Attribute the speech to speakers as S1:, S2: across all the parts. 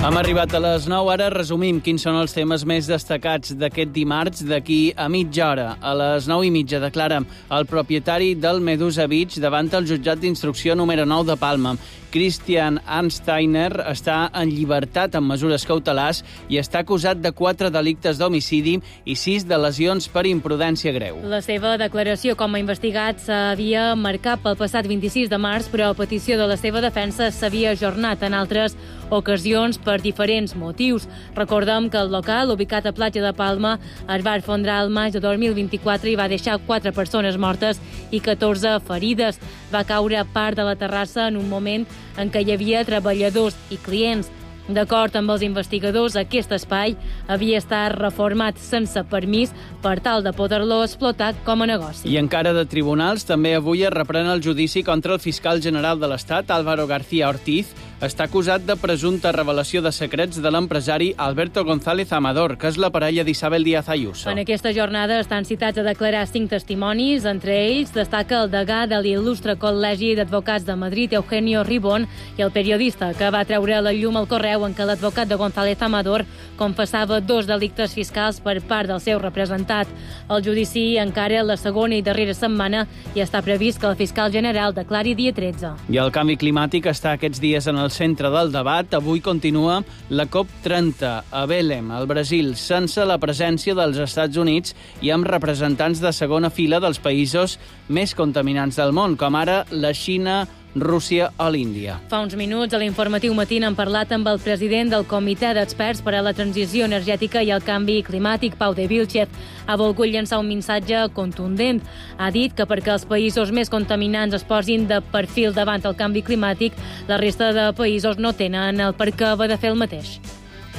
S1: Hem arribat a les 9, ara resumim quins són els temes més destacats d'aquest dimarts. D'aquí a mitja hora, a les 9:30, declara el propietari del Medusa Beach davant el jutjat d'instrucció número 9 de Palma. Christian Ansteiner està en llibertat amb mesures cautelars i està acusat de 4 delictes d'homicidi i 6 de lesions per imprudència greu.
S2: La seva declaració com a investigat s'havia marcat pel passat 26 de març, però a petició de la seva defensa s'havia ajornat en altres ocasions per diferents motius. Recordem que el local, ubicat a Platja de Palma, es va esfondrar al maig de 2024 i va deixar 4 persones mortes i 14 ferides. Va caure part de la terrassa en un moment en què hi havia treballadors i clients. D'acord amb els investigadors, aquest espai havia estat reformat sense permís per tal de poder-lo explotar com a negoci.
S1: I encara de tribunals, també avui es reprèn el judici contra el fiscal general de l'Estat, Álvaro García Ortiz. Està acusat de presumpta revelació de secrets de l'empresari Alberto González Amador, que és la parella d'Isabel Díaz Ayuso.
S2: En aquesta jornada estan citats a declarar 5 testimonis. Entre ells destaca el degà de l'il·lustre Col·legi d'Advocats de Madrid, Eugenio Ribón, i el periodista que va treure a la llum el correu en què l'advocat de González Amador confessava 2 delictes fiscals per part del seu representat. El judici encara la segona i darrera setmana i està previst que el fiscal general declari dia 13.
S1: I el canvi climàtic està aquests dies en el centre del debat. Avui continua la COP30 a Belém, al Brasil, sense la presència dels Estats Units i amb representants de segona fila dels països més contaminants del món, com ara la Xina, Rússia o l'Índia.
S2: Fa uns minuts a l'informatiu matí hem parlat amb el president del Comitè d'Experts per a la Transició Energètica i el Canvi Climàtic, Pau de Vilchez. Ha volgut llançar un missatge contundent. Ha dit que perquè els països més contaminants es posin de perfil davant el canvi climàtic, la resta de països no tenen el per què haver de fer el mateix.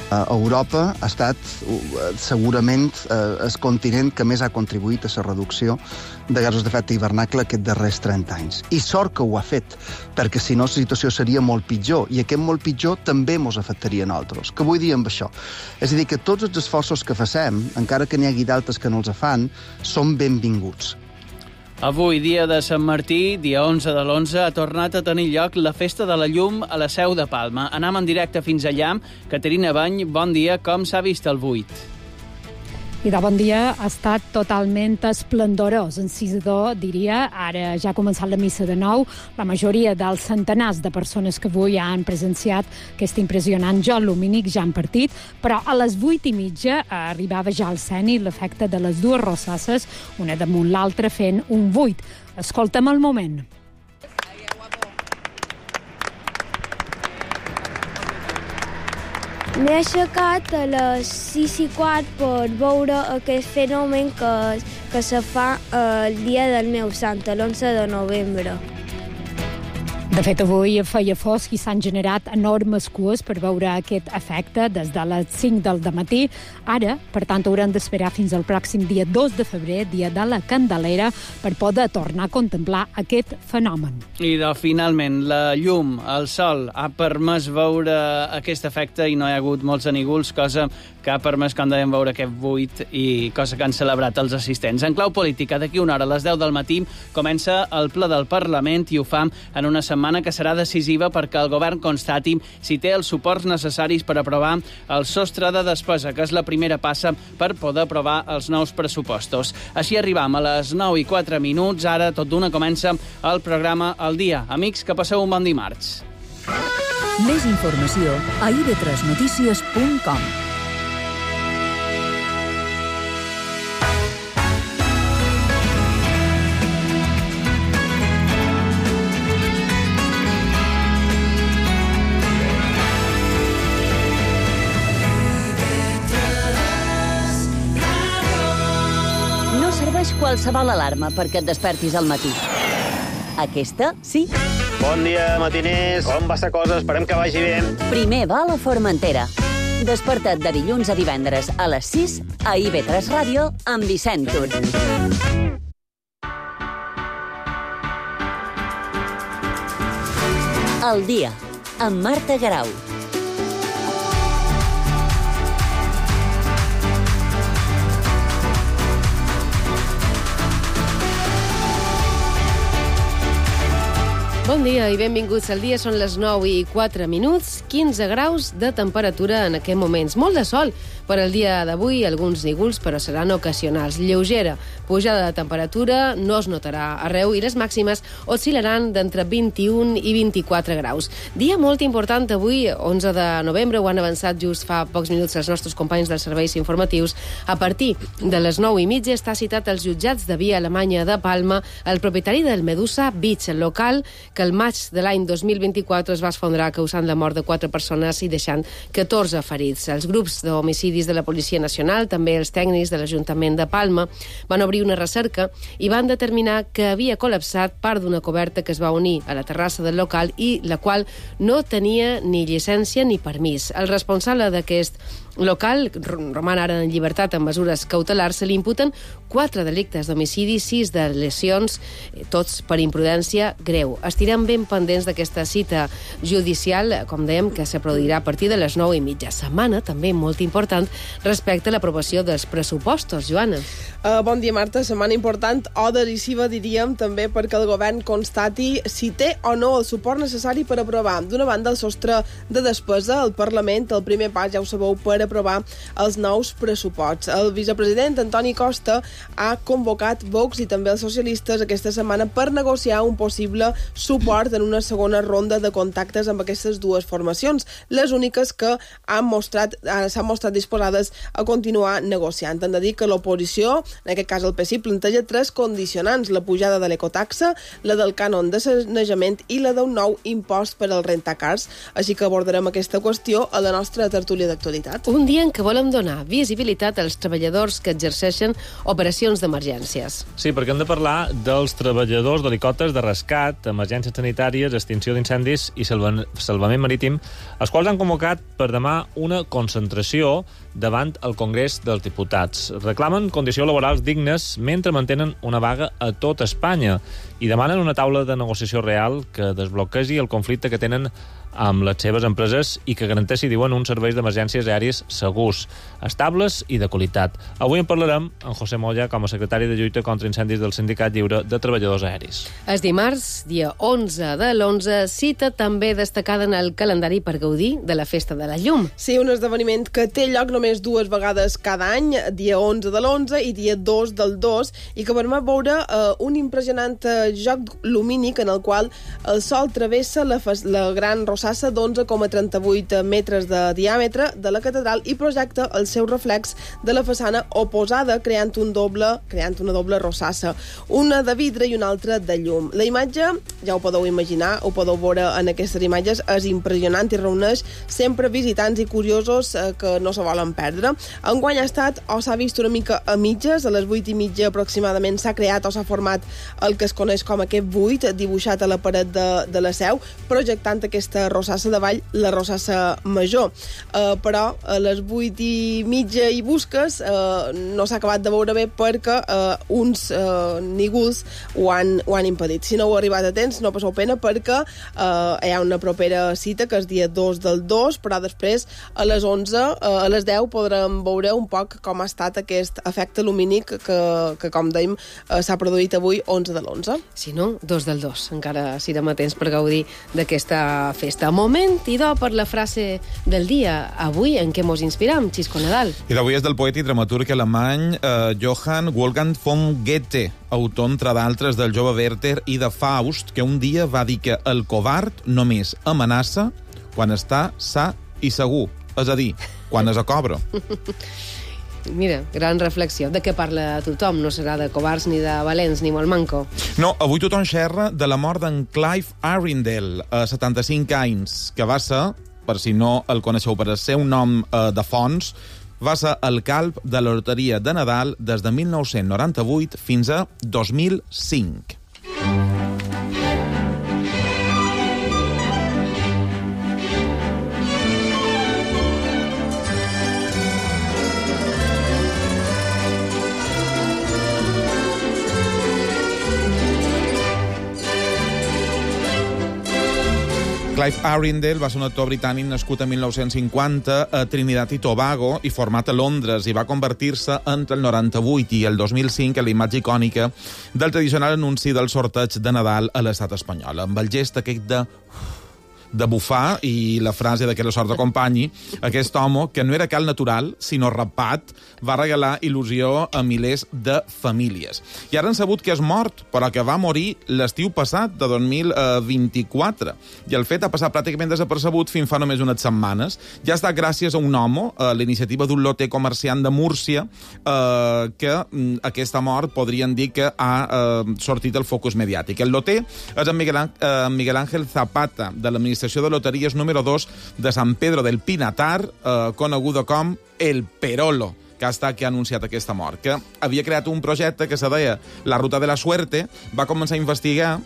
S3: Europa ha estat segurament el continent que més ha contribuït a la reducció de gasos d'efecte hivernacle aquests darrers 30 anys. I sort que ho ha fet, perquè si no la situació seria molt pitjor, i aquest molt pitjor també ens afectaria a nosaltres. Què vull dir amb això? És a dir, que tots els esforços que facem, encara que n'hi hagi d'altres que no els fan, són benvinguts.
S1: Avui, dia de Sant Martí, dia 11 de l'11, ha tornat a tenir lloc la Festa de la Llum a la Seu de Palma. Anem en directe fins allà. Caterina Bany, bon dia. Com s'ha vist el buit?
S4: I de bon dia, ha estat totalment esplendorós, encisador, diria. Ara ja ha començat la missa de 9. La majoria dels centenars de persones que avui han presenciat aquest impressionant joc lumínic ja han partit, però a les 8:30 arribava ja al zenit l'efecte de les 2 rossasses, una damunt l'altra fent un buit. Escolta'm el moment.
S5: M'he aixecat a les 6:15 per veure aquest fenomen que se fa el dia del meu sant, l'11 de novembre.
S4: De fet, avui feia fosc i s'han generat enormes cues per veure aquest efecte des de les 5 del dematí. Ara, per tant, haurem d'esperar fins al pròxim dia 2 de febrer, dia de la Candelera, per poder tornar a contemplar aquest fenomen.
S1: I finalment, la llum, el sol, ha permès veure aquest efecte i no hi ha hagut molts anígols, cosa que ha permès, com dèiem, veure aquest buit i cosa que han celebrat els assistents. En clau política, d'aquí una hora, a les 10 del matí, comença el ple del Parlament i ho fa en una setmana que serà decisiva perquè el govern constati si té els suports necessaris per aprovar el sostre de despesa, que és la primera passa per poder aprovar els nous pressupostos. Així arribam a les 9:04. Ara, tot d'una, comença el programa El Dia. Amics, que passeu un bon dimarts.
S6: Més informació a ib3notícies.com.
S7: Qualsevol alarma perquè et despertis al matí. Aquesta, sí.
S8: Bon dia, matiners. Com va la cosa? Esperem que vagi bé.
S7: Primer va a la Formentera. Desperta't de dilluns a divendres a les 6 a IB3 Ràdio amb Vicent Tur. El Dia, amb Marta Garau.
S9: Bon dia i benvinguts al dia. Són les 9:04, 15 graus de temperatura en aquests moments. Molt de sol per al dia d'avui, alguns nígols, però seran ocasionals. Lleugera pujada de temperatura, no es notarà arreu i les màximes oscil·laran d'entre 21 i 24 graus. Dia molt important avui, 11 de novembre, ho han avançat just fa pocs minuts els nostres companys dels serveis informatius. A partir de les 9:30 està citat als jutjats de Via Alemanya de Palma el propietari del Medusa Beach, el local que el maig de l'any 2024 es va esfondrar causant la mort de 4 persones i deixant 14 ferits. Els grups d'homicidis de la Policia Nacional, també els tècnics de l'Ajuntament de Palma, van obrir una recerca i van determinar que havia col·lapsat part d'una coberta que es va unir a la terrassa del local i la qual no tenia ni llicència ni permís. El responsable d'aquest local roman ara en llibertat amb mesures cautelars. Se li imputen 4 delictes d'homicidi, 6 de lesions, tots per imprudència greu. Estirem ben pendents d'aquesta cita judicial, com dèiem, que se produirà a partir de les 9:30. Setmana també molt important respecte a l'aprovació dels pressupostos. Joana.
S10: Bon dia, Marta. Setmana important o decisiva, diríem, també perquè el govern constati si té o no el suport necessari per aprovar. D'una banda, el sostre de despesa al Parlament, el primer pas, ja ho sabeu, per aprovar els nous pressuposts. El vicepresident Antoni Costa ha convocat Vox i també els socialistes aquesta setmana per negociar un possible suport en una segona ronda de contactes amb aquestes dues formacions, les úniques que s'han mostrat disposades a continuar negociant. Han de dir que l'oposició, en aquest cas el PSI, planteja 3 condicionants: la pujada de l'ecotaxa, la del cànon de sanejament i la d'un nou impost per al rentacars. Així que abordarem aquesta qüestió a la nostra tertúlia d'actualitat.
S9: Un dia en què volem donar visibilitat als treballadors que exerceixen operacions d'emergències.
S11: Sí, perquè hem de parlar dels treballadors d'helicòpters de rescat, emergències sanitàries, extinció d'incendis i salvament marítim, els quals han convocat per demà una concentració davant el Congrés dels Diputats. Reclamen condicions laborals dignes mentre mantenen una vaga a tot Espanya i demanen una taula de negociació real que desbloquegi el conflicte que tenen amb les seves empreses i que garanteixi, diuen, uns serveis d'emergències aèries segurs, estables i de qualitat. Avui en parlarem amb José Moya com a secretari de lluita contra incendis del Sindicat Lliure de Treballadors Aeris.
S9: És dimarts, dia 11 de l'11, cita també destacada en el calendari per gaudir de la Festa de la Llum.
S10: Sí, un esdeveniment que té lloc només 2 vegades cada any, dia 11 de l'11 i dia 2 del 2, i que permet veure un impressionant joc lumínic en el qual el sol travessa la gran rossassa d'11,38 metres de diàmetre de la catedral i projecta el seu reflex de la façana oposada, creant una doble rossassa, una de vidre i una altra de llum. La imatge, ja ho podeu imaginar, ho podeu veure en aquestes imatges, és impressionant i reuneix sempre visitants i curiosos que no se volen perdre. Enguany ha estat o s'ha vist una mica a mitges, a les 8:30 aproximadament s'ha creat o s'ha format el que es coneix com aquest buit dibuixat a la paret de la seu, projectant aquesta rossassa de vall, la rossassa major. Però a les 8:30 i busques no s'ha acabat de veure bé perquè uns nígols ho han impedit. Si no heu arribat a temps, no passeu pena perquè hi ha una propera cita que és dia 2 del 2, però després a les 11, a les 10 podrem veure un poc com ha estat aquest efecte lumínic que com dèiem, s'ha produït avui 11 de l'11.
S9: Si no, 2 del 2. Encara serem a temps per gaudir d'aquesta festa. Moment idò per la frase del dia. Avui en què mos inspiram, Xisco Nadal?
S12: I d'avui és del poeta i dramaturg alemany Johann Wolfgang von Goethe, autor, entre d'altres, del Jove Werther i de Faust, que un dia va dir que el covard només amenaça quan està sa i segur, és a dir, quan és a cobra.
S9: Mira, gran reflexió. De què parla tothom? No serà de covards, ni de valents, ni molt manco.
S12: No, avui tothom xerra de la mort d'en Clive Arundel, a 75 anys, que va ser, per si no el coneixeu per el seu nom de fons, va ser el calb de la loteria de Nadal des de 1998 fins a 2005. Clive Arundel va ser un actor britànic nascut en 1950 a Trinidad i Tobago i format a Londres, i va convertir-se entre el 98 i el 2005 en la imatge icònica del tradicional anunci del sorteig de Nadal a l'estat espanyol, amb el gest aquest de bufar i la frase de que la sort acompanyi, aquest home, que no era cal natural, sinó rapat, va regalar il·lusió a milers de famílies. I ara han sabut que és mort, però que va morir l'estiu passat, de 2024. I el fet ha passat pràcticament desapercebut fins fa només unes setmanes. Ja està gràcies a un home, a l'iniciativa d'un loter comerciant de Múrcia, que aquesta mort podrien dir que ha sortit el focus mediàtic. El loter és en Miguel Ángel Zapata, de l'administració de loteries número 2 de San Pedro del Pinatar, coneguda com el Perolo, que ha estat que ha anunciat aquesta mort, que havia creat un projecte que se deia La Ruta de la Suerte, va començar a investigar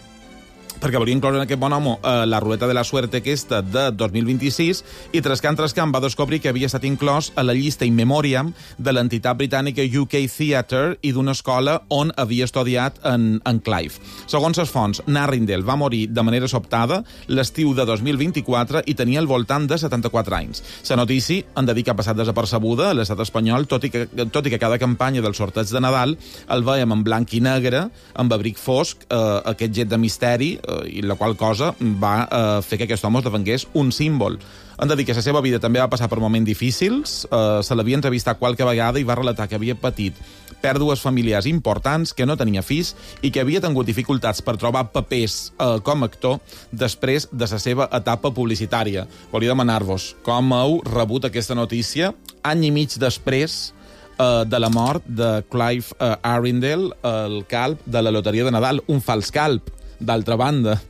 S12: perquè volia incloure en aquest bon home la ruleta de la suerte aquesta de 2026, i trascant va descobrir que havia estat inclòs a la llista in memoriam de l'entitat britànica UK Theatre i d'una escola on havia estudiat en Clive. Segons les fonts, Arundel va morir de manera sobtada l'estiu de 2024 i tenia al voltant de 74 anys. La notícia han de dir que ha passat desapercebuda a l'estat espanyol, tot i que cada campanya del sorteig de Nadal el veiem en blanc i negre, amb abric fosc, aquest jet de misteri, i la qual cosa va fer que aquest home esdevengués un símbol. Han de dir que la seva vida també va passar per moments difícils, se l'havia entrevistat qualque vegada i va relatar que havia patit pèrdues familiars importants, que no tenia fills i que havia tingut dificultats per trobar papers com a actor després de la seva etapa publicitària. Volia demanar-vos com heu rebut aquesta notícia any i mig després de la mort de Clive Arundel, el calb de la loteria de Nadal, un fals calb. D'altra banda,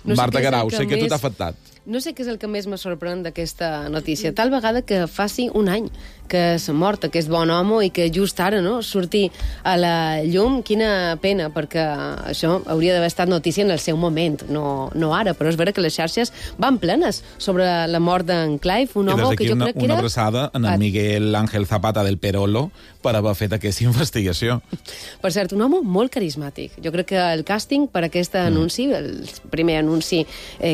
S12: Marta Garau, sé que tu t'ha afectat.
S9: No sé què és el que més me sorprèn d'aquesta notícia. Tal vegada que faci un any que s'ha mort aquest bon home i que just ara surti a la llum. Quina pena, perquè això hauria d'haver estat notícia en el seu moment, no ara. Però és vera que les xarxes van plenes sobre la mort d'en Clive, un home que jo crec que era...
S12: Una abraçada en el Miguel Ángel Zapata del Perolo per haver fet aquesta investigació.
S9: Per cert, un home molt carismàtic. Jo crec que el càsting per aquest anunci, el primer anunci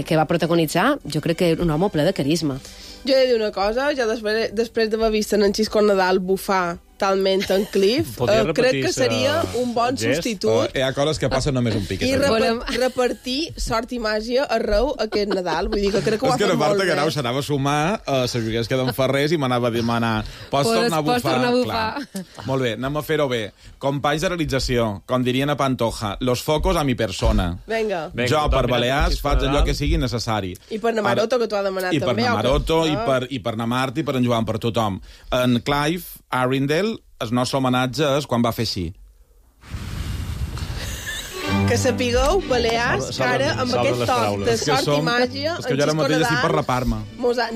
S9: que va protagonitzar, jo crec que era un home ple de carisma.
S10: Jo he de dir una cosa, ja després d'haver vist en Xisco Nadal bufar talment en Cliff, crec que seria un bon substitut.
S12: Hi ha coses que passen només un pic.
S10: I repartir sort i màgia arreu aquest Nadal. Vull dir que crec que ho ha fet molt bé.
S12: És que la Marta Garau s'anava a sumar a les joguers que d'en Ferrés i m'anava a demanar pots tornar a bufar? Molt bé, anem a fer-ho bé. Companys de realització, com dirien a Pantoja, los focos a mi persona.
S10: Vinga.
S12: Jo, per Balears, faig allò que sigui necessari.
S10: I per Namaroto, que t'ho ha demanat també.
S12: I per Namaroto, i per Namart, i per en Joan, per tothom. En Clive Arundel, el nostre homenatge és quan va fer així.
S10: Que sapigueu, Balears, que ara amb aquest toc de sort i màgia...
S12: És que jo ara mateix estic per rapar-me.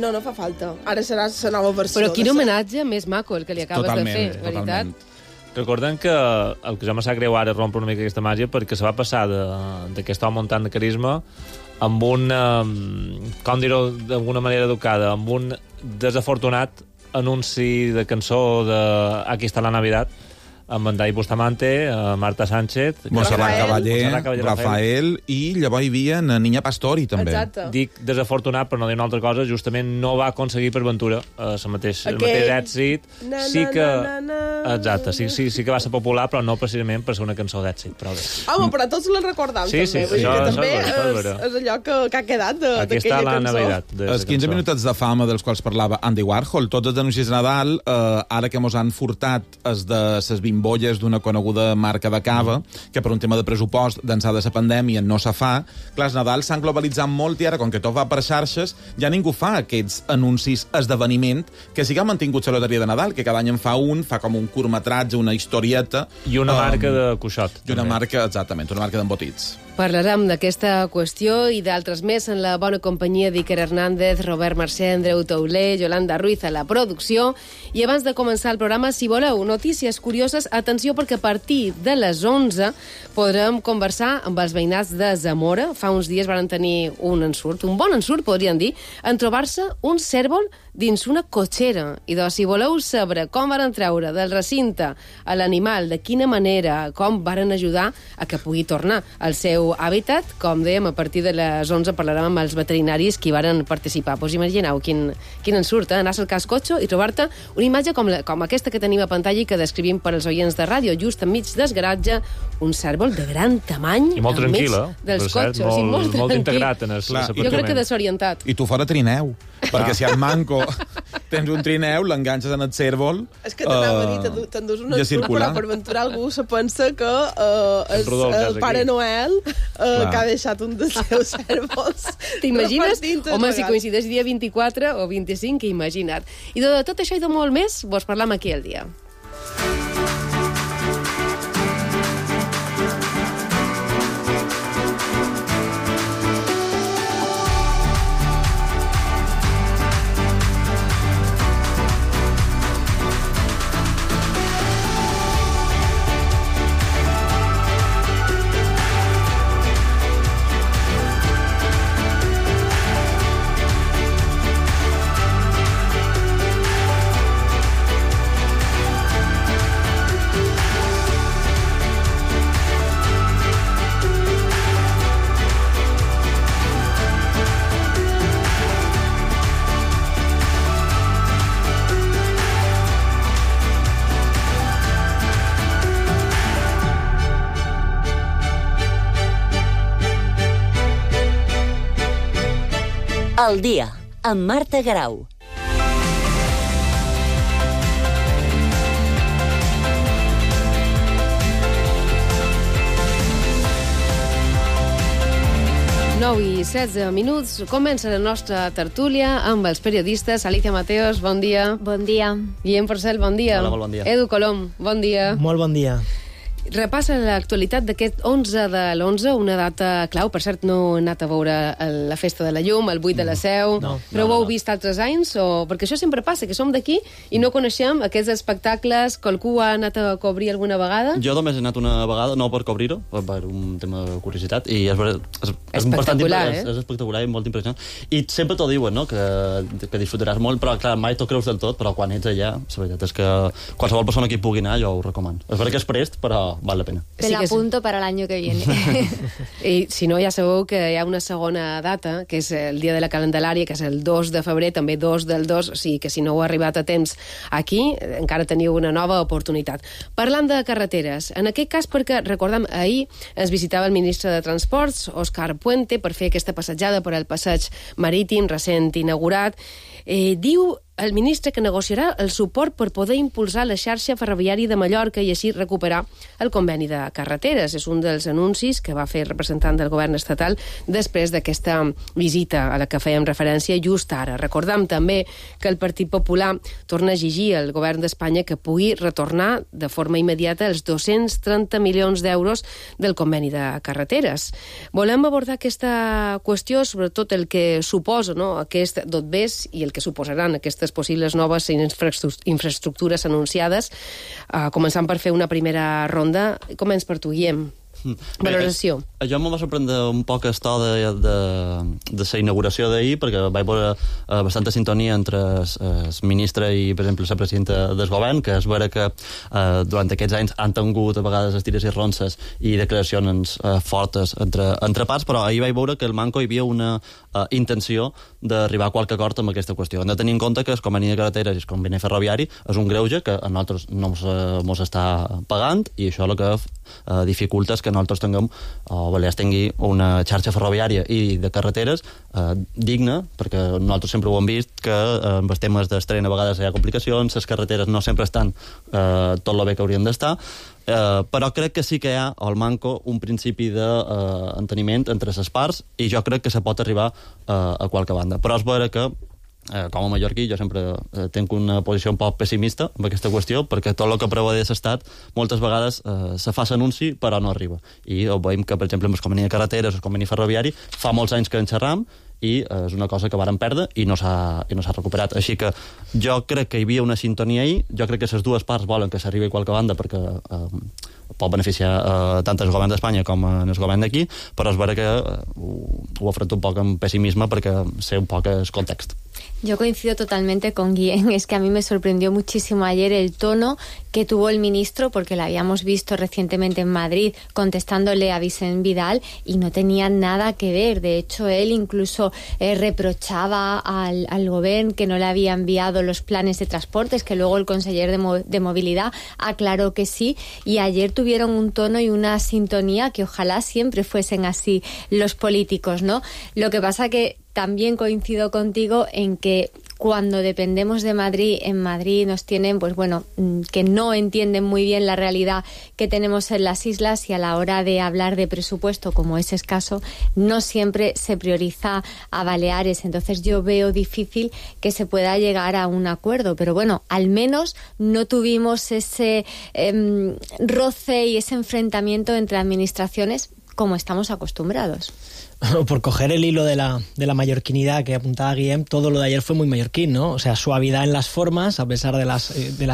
S10: No fa falta. Ara serà la nova versió.
S9: Però quin homenatge més maco el que li acabes de fer, veritat?
S11: Recordem que el que ja me sap greu ara rompre una mica aquesta màgia perquè se va passar d'aquest home amb tant de carisma amb un, com dir-ho d'alguna manera educada, amb un desafortunat anunci de cançó de Aquí està la Navidad, amb en Dai Bustamante, Marta Sánchez,
S12: Montserrat Cavaller, Rafael, i llavors hi havia Niña Pastori, també.
S10: Exacte.
S11: Dic desafortunat, per no dir una altra cosa, justament no va aconseguir per Ventura el mateix èxit. Sí que... Exacte, sí que va ser popular, però no precisament per ser una cançó d'èxit.
S10: Home, però tots la recordam, també.
S11: Sí,
S10: també és allò que ha quedat d'aquella cançó.
S12: Els 15 minutets de fama dels quals parlava Andy Warhol, tots els anuncis de Nadal, ara que mos han furtat els de ses bimbolles d'una coneguda marca de cava, que per un tema de pressupost d'ençà de la pandèmia no se fa. Clar, els Nadal s'han globalitzat molt i ara, com que tot va per xarxes, ja ningú fa aquests anuncis esdeveniment que sí que ha mantingut la loteria de Nadal, que cada any en fa com un curtmetratge, una historieta.
S11: I una marca de cuixot.
S12: I una marca, exactament, una marca d'embotits.
S9: Parlarem d'aquesta qüestió i d'altres més en la bona companyia d'Iker Hernández, Robert Mercè, Andreu Tauler, Yolanda Ruiz a la producció. I abans de començar el programa, si voleu notícies curioses, atenció, perquè a partir de les 11 podrem conversar amb els veïnats de Zamora. Fa uns dies van tenir un ensurt, un bon ensurt, podríem dir, en trobar-se un cèrvol dins una cotxera. I doncs, si voleu saber com varen treure del recinte a l'animal, de quina manera, com varen ajudar a que pugui tornar al seu hàbitat, com dèiem, a partir de les 11 parlarem amb els veterinaris que hi varen participar. Pues imagineu quin en surt, anar a cercar el cotxe i trobar-te una imatge com aquesta que tenim a pantalla i que descrivim per als oients de ràdio, just enmig del garatge, un cèrvol de gran tamany
S11: i molt tranquil·la,
S9: dels cotxes.
S11: Molt integrat en l'aparcament.
S9: Jo crec que desorientat.
S12: I tu fora trineu, perquè si al manco tens un trineu, l'enganxes en el cèrvol,
S10: és que t'anava a dir, t'endús una surt, però per aventurar algú se pensa que és el Pare Noel que ha deixat un dels seus cèrvols.
S9: T'imagines? Home, si coincideix dia 24 o 25, que imagina't. I de tot això i de molt més, vos parlam aquí al dia.
S7: El dia, amb Marta Garau.
S9: I 16 minuts. Comença la nostra tertúlia amb els periodistes. Alicia Mateos, bon dia.
S13: Bon dia.
S9: Guillem Porcel, bon dia.
S14: Hola, molt bon dia.
S9: Edu Colom, bon dia.
S14: Molt bon dia.
S9: Repassa l'actualitat d'aquest 11 de l'11, una data clau. Per cert, no he anat a veure la Festa de la Llum, el 8 de la Seu, però ho heu vist altres anys? Perquè això sempre passa, que som d'aquí i no coneixem aquests espectacles. Qualcú ha anat a cobrir alguna vegada?
S14: Jo només he anat una vegada, no per cobrir-ho, per un tema de curiositat, i és
S9: espectacular,
S14: és espectacular i molt impressionant. I sempre t'ho diuen, no?, que disfrutaràs molt, però clar, mai t'ho creus del tot, però quan ets allà, la veritat és que qualsevol persona que hi pugui anar, jo ho recomano. És veritat que és prest, però val la pena.
S13: Te la apunto para el año que viene.
S9: I si no, ja sabeu que hi ha una segona data, que és el dia de la Candelària, que és el 2 de febrer, també 2 del 2, o sigui que si no heu arribat a temps aquí, encara teniu una nova oportunitat. Parlant de carreteres, en aquest cas perquè, recordem, ahir ens visitava el ministre de Transports, Òscar Puente, per fer aquesta passejada per al passeig marítim recent inaugurat. Diu el ministre que negociarà el suport per poder impulsar la xarxa ferroviària de Mallorca i així recuperar el conveni de carreteres. És un dels anuncis que va fer el representant del govern estatal després d'aquesta visita a la que fèiem referència just ara. Recordem també que el Partit Popular torna a exigir al govern d'Espanya que pugui retornar de forma immediata els 230 milions d'euros del conveni de carreteres. Volem abordar aquesta qüestió, sobretot el que suposa, no?, aquest dotbés i el que suposaran aquestes possibles noves infraestructures anunciades, començant per fer una primera ronda. Comença per tu, Guillem. Valoració.
S14: Jo me va sorprendre un poc el to de la inauguració d'ahir, perquè vaig veure bastanta sintonia entre el ministre i, per exemple, la presidenta del govern, que és vera que durant aquests anys han tingut a vegades estires i ronces i declaracions fortes entre parts, però ahir vaig veure que el manco hi havia una intenció d'arribar a qualque acord amb aquesta qüestió. Hem de tenir en compte que el conveni de carreteres i el conveni ferroviari és un greuge que a nosaltres no mos està pagant, i això el que dificulta és que nosaltres tinguem, o Balears tingui, una xarxa ferroviària i de carreteres digna, perquè nosaltres sempre ho hem vist, que amb els temes d'estren a vegades hi ha complicacions, les carreteres no sempre estan tot el bé que haurien d'estar, però crec que sí que hi ha al manco un principi d'enteniment entre les parts, i jo crec que se pot arribar a qualque banda. Però és vera que com a mallorquí jo sempre tinc una posició un poc pessimista amb aquesta qüestió, perquè tot el que preveu l'estat moltes vegades se fa l'anunci però no arriba, i veiem que per exemple amb el conveni de carreteres o el conveni ferroviari fa molts anys que en xerram i és una cosa que vàrem perdre i no s'ha recuperat. Així que jo crec que hi havia una sintonia ahir, jo crec que les dues parts volen que s'arribi a qualque banda perquè pot beneficiar tant el govern d'Espanya com el govern d'aquí, però és vera que ho afronto un poc amb pessimisme perquè sé un poc el context.
S13: Yo coincido totalmente con Guillén. Es que a mí me sorprendió muchísimo ayer el tono que tuvo el ministro, porque lo habíamos visto recientemente en Madrid contestándole a Vicent Vidal y no tenía nada que ver. De hecho, él incluso reprochaba al gobierno que no le había enviado los planes de transportes, que luego el conseller de Movilidad aclaró que sí, y ayer tuvieron un tono y una sintonía que ojalá siempre fuesen así los políticos, ¿no? Lo que pasa que también coincido contigo en que cuando dependemos de Madrid, en Madrid nos tienen, pues bueno, que no entienden muy bien la realidad que tenemos en las islas, y a la hora de hablar de presupuesto, como es escaso, no siempre se prioriza a Baleares. Entonces yo veo difícil que se pueda llegar a un acuerdo, pero bueno, al menos no tuvimos ese roce y ese enfrentamiento entre administraciones como estamos acostumbrados.
S15: Por coger el hilo de la mallorquinidad que apuntaba Guillem, todo lo de ayer fue muy mallorquín, ¿no? O sea, suavidad en las formas, a pesar de las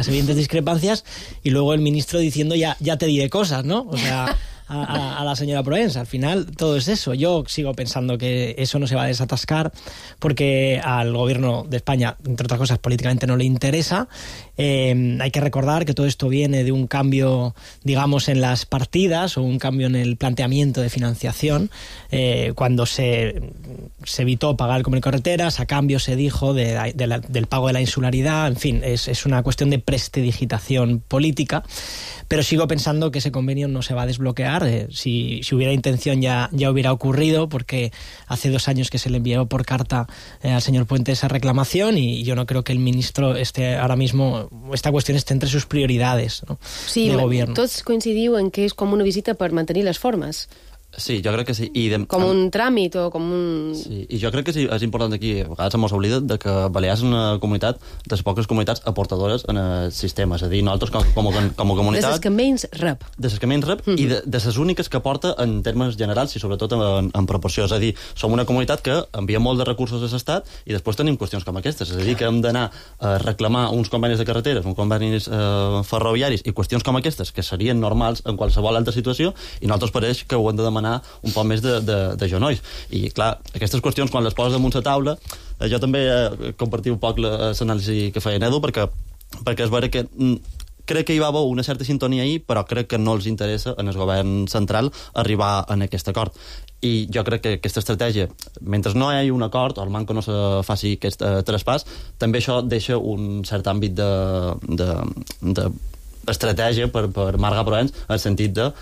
S15: evidentes discrepancias, y luego el ministro diciendo ya te diré cosas, ¿no? O sea, a la señora Proens. Al final, todo es eso. Yo sigo pensando que eso no se va a desatascar porque al gobierno de España, entre otras cosas, políticamente no le interesa. Hay que recordar que todo esto viene de un cambio, digamos, en las partidas o un cambio en el planteamiento de financiación, cuando se evitó pagar el convenio de carreteras, a cambio se dijo del pago de la insularidad. En fin, es una cuestión de prestidigitación política, pero sigo pensando que ese convenio no se va a desbloquear. Si hubiera intención ya hubiera ocurrido, porque hace 2 años que se le envió por carta al señor Puente esa reclamación, y yo no creo que el ministro ahora mismo, esta cuestión esté entre sus prioridades, ¿no?
S9: Sí,
S15: de gobierno.
S9: Tots coincidiu en que és com una visita per mantenir les formes.
S14: Sí, jo crec que sí.
S9: Com un tràmit o com un...
S14: Sí, i jo crec que sí, és important aquí, a vegades se mos oblida de que Balears és una comunitat, de les poques comunitats aportadores en el sistema, és a dir, nosaltres com a comunitat...
S9: De les que menys rep.
S14: De les que menys rep i de les úniques que aporta en termes generals i sobretot en proporció. És a dir, som una comunitat que envia molt de recursos a l'Estat i després tenim qüestions com aquestes, és a dir, que hem d'anar a reclamar uns convenis de carreteres, uns convenis ferroviaris i qüestions com aquestes, que serien normals en qualsevol altra situació, i nosaltres pareix que ho hem de demanar un poc més de genolls. I, clar, aquestes qüestions, quan les poses damunt la taula, jo també compartiu un poc l'anàlisi que feia Edu, perquè és vera que crec que hi va haver una certa sintonia ahir, però crec que no els interessa en el govern central arribar en aquest acord. I jo crec que aquesta estratègia, mentre no hi hagi un acord, o el manco no se faci aquest traspàs, també això deixa un cert àmbit d'estratègia per Marga Proens, en el sentit de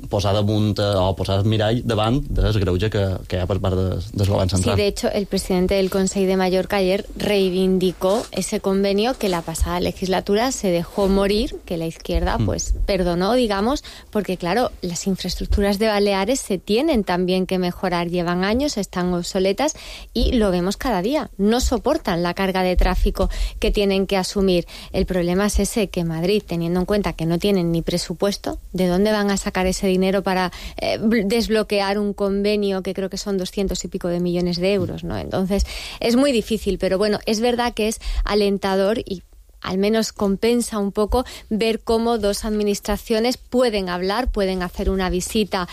S14: posar damunt o posar el mirall davant del greuge que hi ha per part del govern central.
S13: Sí, de hecho, el presidente del Consejo de Mallorca ayer reivindicó ese convenio que la pasada legislatura se dejó morir, que la izquierda pues perdonó, digamos, porque claro, las infraestructuras de Baleares se tienen también que mejorar, llevan años, están obsoletas y lo vemos cada día, no soportan la carga de tráfico que tienen que asumir. El problema es ese, que Madrid, teniendo en cuenta que no tienen ni presupuesto, ¿de dónde van a sacar ese dinero para desbloquear un convenio que creo que son 200 y pico de millones de euros, ¿no? Entonces es muy difícil, pero bueno, es verdad que es alentador y al menos compensa un poco ver cómo dos administraciones pueden hablar, pueden hacer una visita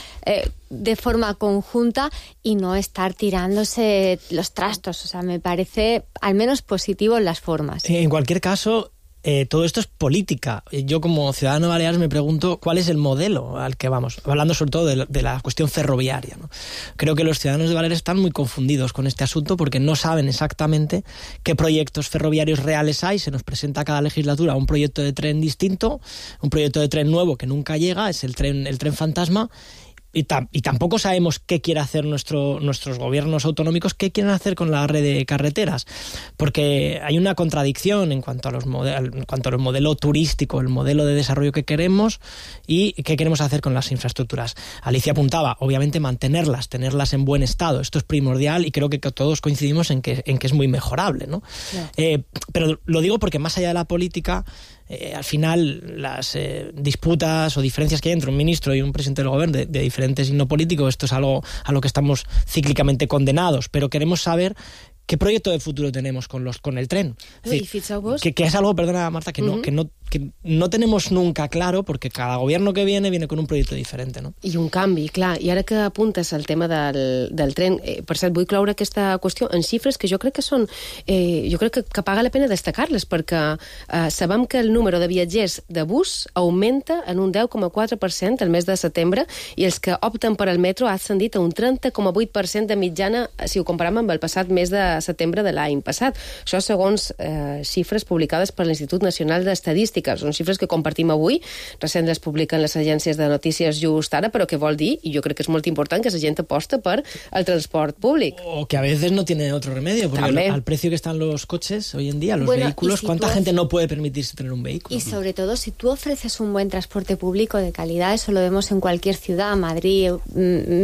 S13: de forma conjunta y no estar tirándose los trastos. O sea, me parece al menos positivo en las formas.
S15: En cualquier caso, todo esto es política. Yo como ciudadano de Baleares me pregunto cuál es el modelo al que vamos, hablando sobre todo de la cuestión ferroviaria, ¿no? Creo que los ciudadanos de Baleares están muy confundidos con este asunto porque no saben exactamente qué proyectos ferroviarios reales hay. Se nos presenta cada legislatura un proyecto de tren distinto, un proyecto de tren nuevo que nunca llega, es el tren fantasma. Y tampoco sabemos qué quiere hacer nuestros gobiernos autonómicos, qué quieren hacer con la red de carreteras, porque hay una contradicción en cuanto a los modelo turístico, el modelo de desarrollo que queremos y qué queremos hacer con las infraestructuras. Alicia apuntaba, obviamente tenerlas en buen estado, esto es primordial y creo que todos coincidimos en que es muy mejorable, ¿no? Yeah. Pero lo digo porque más allá de la política, al final las disputas o diferencias que hay entre un ministro y un presidente del gobierno de diferente signo político, esto es algo a lo que estamos cíclicamente condenados, pero queremos saber qué proyecto de futuro tenemos con el tren. Es decir, que es algo, perdona Marta, que que no tenemos nunca claro, porque cada gobierno que viene con un proyecto diferente, no?
S9: I un canvi, clar. I ara que apuntes al tema del tren, per cert, vull cloure aquesta qüestió en xifres que jo crec que són... jo crec que paga la pena destacar-les, perquè sabem que el número de viatgers de bus augmenta en un 10,4% el mes de setembre i els que opten per al metro ha ascendit a un 30,8% de mitjana si ho comparem amb el passat mes de setembre de l'any passat. Això segons xifres publicades per l'Institut Nacional d'Estadística. Són xifres que compartim avui, recent les publiquen les agències de notícies just ara, però què vol dir, i jo crec que és molt important, que la gent aposta per el transport públic.
S15: O que a veces no tiene otro remedio, porque al precio que están los coches hoy en día, los vehículos, ¿cuánta gente no puede permitirse tener un vehículo?
S13: Y sobre todo, si tú ofreces un buen transporte público de calidad, eso lo vemos en cualquier ciudad, Madrid,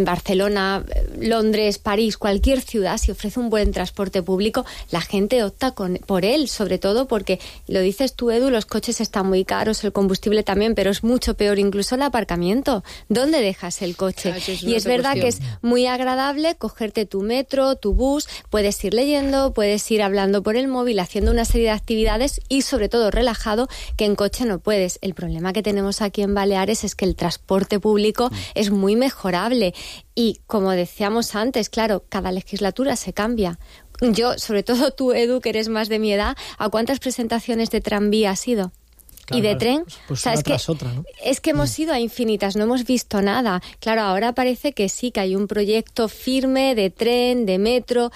S13: Barcelona, Londres, París, cualquier ciudad, si ofrece un buen transporte público, la gente opta por él, sobre todo porque, lo dices tú, Edu, los coches están muy caros, el combustible también, pero es mucho peor incluso el aparcamiento. ¿Dónde dejas el coche? Y es verdad que es muy agradable cogerte tu metro, tu bus, puedes ir leyendo, puedes ir hablando por el móvil, haciendo una serie de actividades y sobre todo relajado, que en coche no puedes. El problema que tenemos aquí en Baleares es que el transporte público es muy mejorable y, como decíamos antes, claro, cada legislatura se cambia. Yo, sobre todo tú, Edu, que eres más de mi edad, ¿a cuántas presentaciones de tranvía has ido? Claro, y de tren,
S15: pues una tras otra, ¿no?
S13: Es que hemos ido a infinitas, no hemos visto nada. Claro, ahora parece que sí, que hay un proyecto firme de tren, de metro,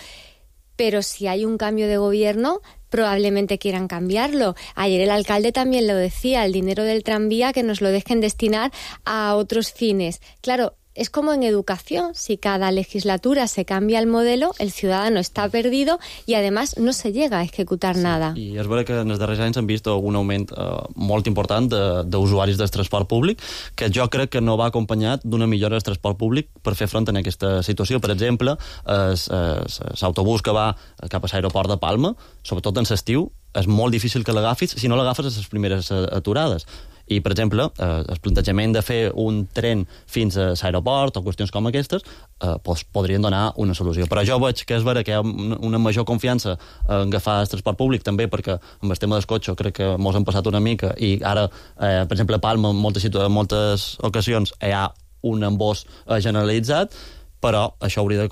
S13: pero si hay un cambio de gobierno, probablemente quieran cambiarlo. Ayer el alcalde también lo decía, el dinero del tranvía que nos lo dejen destinar a otros fines. Claro, es como en educación, si cada legislatura se cambia el modelo, el ciudadano està perdido i, además, no se llega a ejecutar nada.
S14: I és vera que en els darrers anys hem vist un augment molt important d'usuaris del transport públic, que jo crec que no va acompanyat d'una millora del transport públic per fer front a aquesta situació. Per exemple, l'autobús que va cap a l'aeroport de Palma, sobretot en l'estiu, és molt difícil que l'agafis si no l'agafes a les primeres aturades. I, per exemple, el plantejament de fer un tren fins a l'aeroport o qüestions com aquestes podrien donar una solució. Però jo veig que és vera que hi ha una major confiança en agafar el transport públic, també perquè amb el tema del cotxe crec que mos han passat una mica i ara, per exemple, a Palma en moltes ocasions hi ha un embòs generalitzat, però això hauria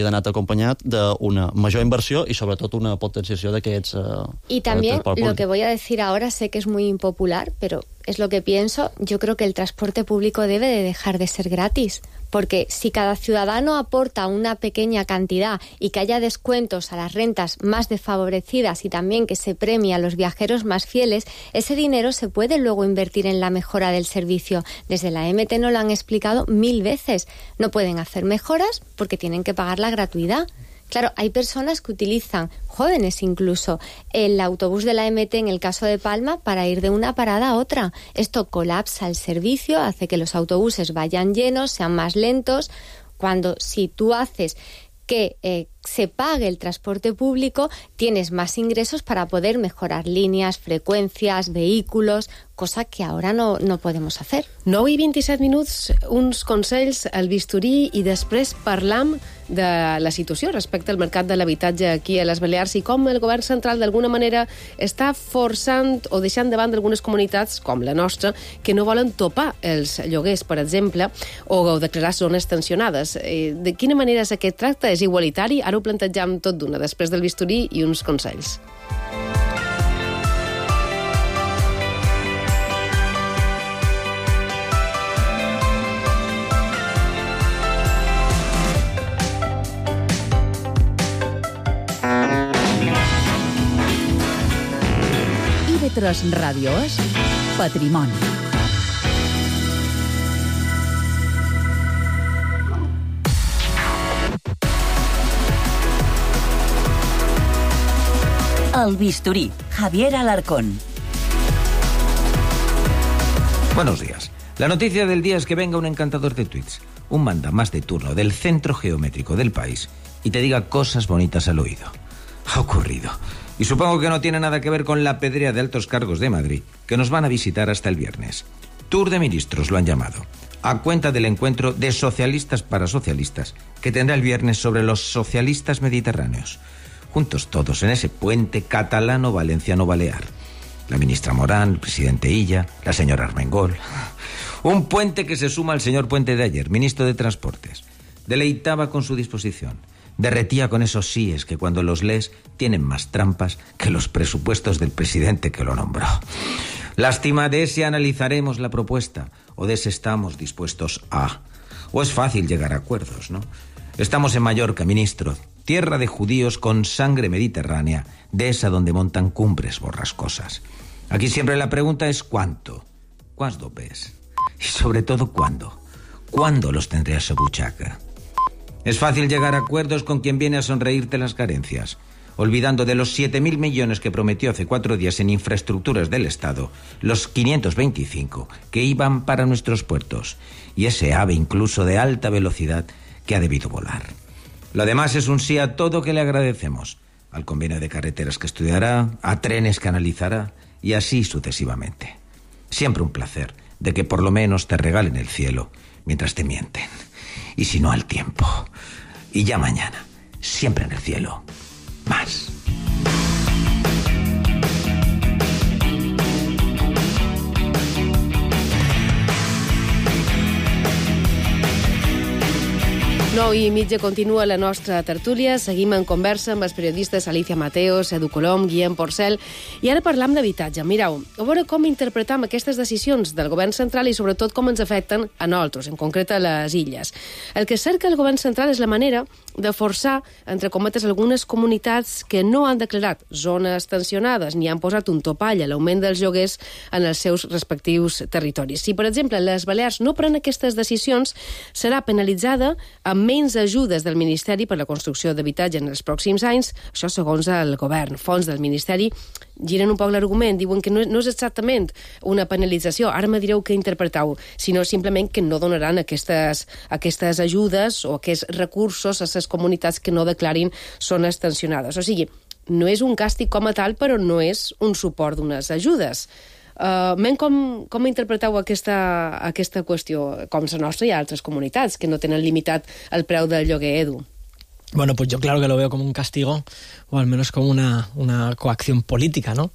S14: d'anar acompañat d'una major inversión y sobre todo una potenciació d'aquests...
S13: Y también, lo que voy a decir ahora, sé que es muy impopular, pero es lo que pienso, yo creo que el transporte público debe de dejar de ser gratis, porque si cada ciudadano aporta una pequeña cantidad y que haya descuentos a las rentas más desfavorecidas y también que se premie a los viajeros más fieles, ese dinero se puede luego invertir en la mejora del servicio. Desde la MT nos lo han explicado 1000 veces. No pueden hacer mejoras porque tienen que pagar la gratuidad. Claro, hay personas que utilizan, jóvenes incluso, el autobús de la MT en el caso de Palma para ir de una parada a otra. Esto colapsa el servicio, hace que los autobuses vayan llenos, sean más lentos, cuando si tú haces que se pague el transporte público, tienes más ingresos para poder mejorar líneas, frecuencias, vehículos, cosa que ahora no podemos hacer.
S9: 9 i 27 minuts, uns consells al bisturí i després parlam de la situació respecte al mercat de l'habitatge aquí a les Balears i com el govern central d'alguna manera està forçant o deixant de banda algunes comunitats, com la nostra, que no volen topar els lloguers, per exemple, o declarar zones tensionades. De quina manera és aquest tracte? És igualitari? Ara ho plantegem tot d'una, després del bisturí i uns consells.
S6: IB3 Ràdio és Patrimoni.
S7: El bisturí, Javier Alarcón.
S16: Buenos días. La noticia del día es que venga un encantador de tweets, un mandamás de turno del centro geométrico del país y te diga cosas bonitas al oído. Ha ocurrido. Y supongo que no tiene nada que ver con la pedrea de altos cargos de Madrid, que nos van a visitar hasta el viernes. Tour de ministros lo han llamado, a cuenta del encuentro de socialistas para socialistas que tendrá el viernes sobre los socialistas mediterráneos. Juntos todos en ese puente catalano-valenciano-balear. La ministra Morán, el presidente Illa, la señora Armengol. Un puente que se suma al señor Puente de ayer, ministro de Transportes. Deleitaba con su disposición. Derretía con esos síes que cuando los lees tienen más trampas que los presupuestos del presidente que lo nombró. Lástima de si analizaremos la propuesta o de si estamos dispuestos a. O es fácil llegar a acuerdos, ¿no? Estamos en Mallorca, ministro, tierra de judíos con sangre mediterránea, de esa donde montan cumbres borrascosas. Aquí siempre la pregunta es ¿cuánto? ¿Cuándo ves? Y sobre todo ¿cuándo? ¿Cuándo los tendré a su buchaca? Es fácil llegar a acuerdos con quien viene a sonreírte las carencias, olvidando de los 7.000 millones que prometió hace 4 días en infraestructuras del Estado, los 525 que iban para nuestros puertos, y ese ave incluso de alta velocidad que ha debido volar. Lo demás es un sí a todo que le agradecemos, al convenio de carreteras que estudiará, a trenes que analizará, y así sucesivamente. Siempre un placer de que por lo menos te regalen el cielo mientras te mienten. Y si no, al tiempo. Y ya mañana, siempre en el cielo, más.
S9: Nou i mitja continua la nostra tertúlia. Seguim en conversa amb els periodistes Alicia Mateos, Edu Colom, Guillem Porcel. I ara parlam d'habitatge. Mireu, a veure com interpretam aquestes decisions del govern central i sobretot com ens afecten a nosaltres, en concret a les illes. El que cerca el govern central és la manera de forçar, entre cometes, algunes comunitats que no han declarat zones tensionades ni han posat un topall a l'augment dels lloguers en els seus respectius territoris. Si, per exemple, les Balears no pren aquestes decisions, serà penalitzada amb menys ajudes del Ministeri per la construcció d'habitatge en els pròxims anys, això segons el govern. Fons del Ministeri giren un poc l'argument, diuen que no és exactament una penalització, ara me direu què interpretau, sinó simplement que no donaran aquestes ajudes o aquests recursos a les comunitats que no declarin zones tensionades. O sigui, no és un càstig com a tal, però no és un suport d'unes ajudes. Com interpreteu aquesta qüestió? Com la nostra hi ha altres comunitats que no tenen limitat el preu del lloguer, Edu.
S15: Bueno, pues yo claro que lo veo como un castigo, o al menos como una coacción política, ¿no?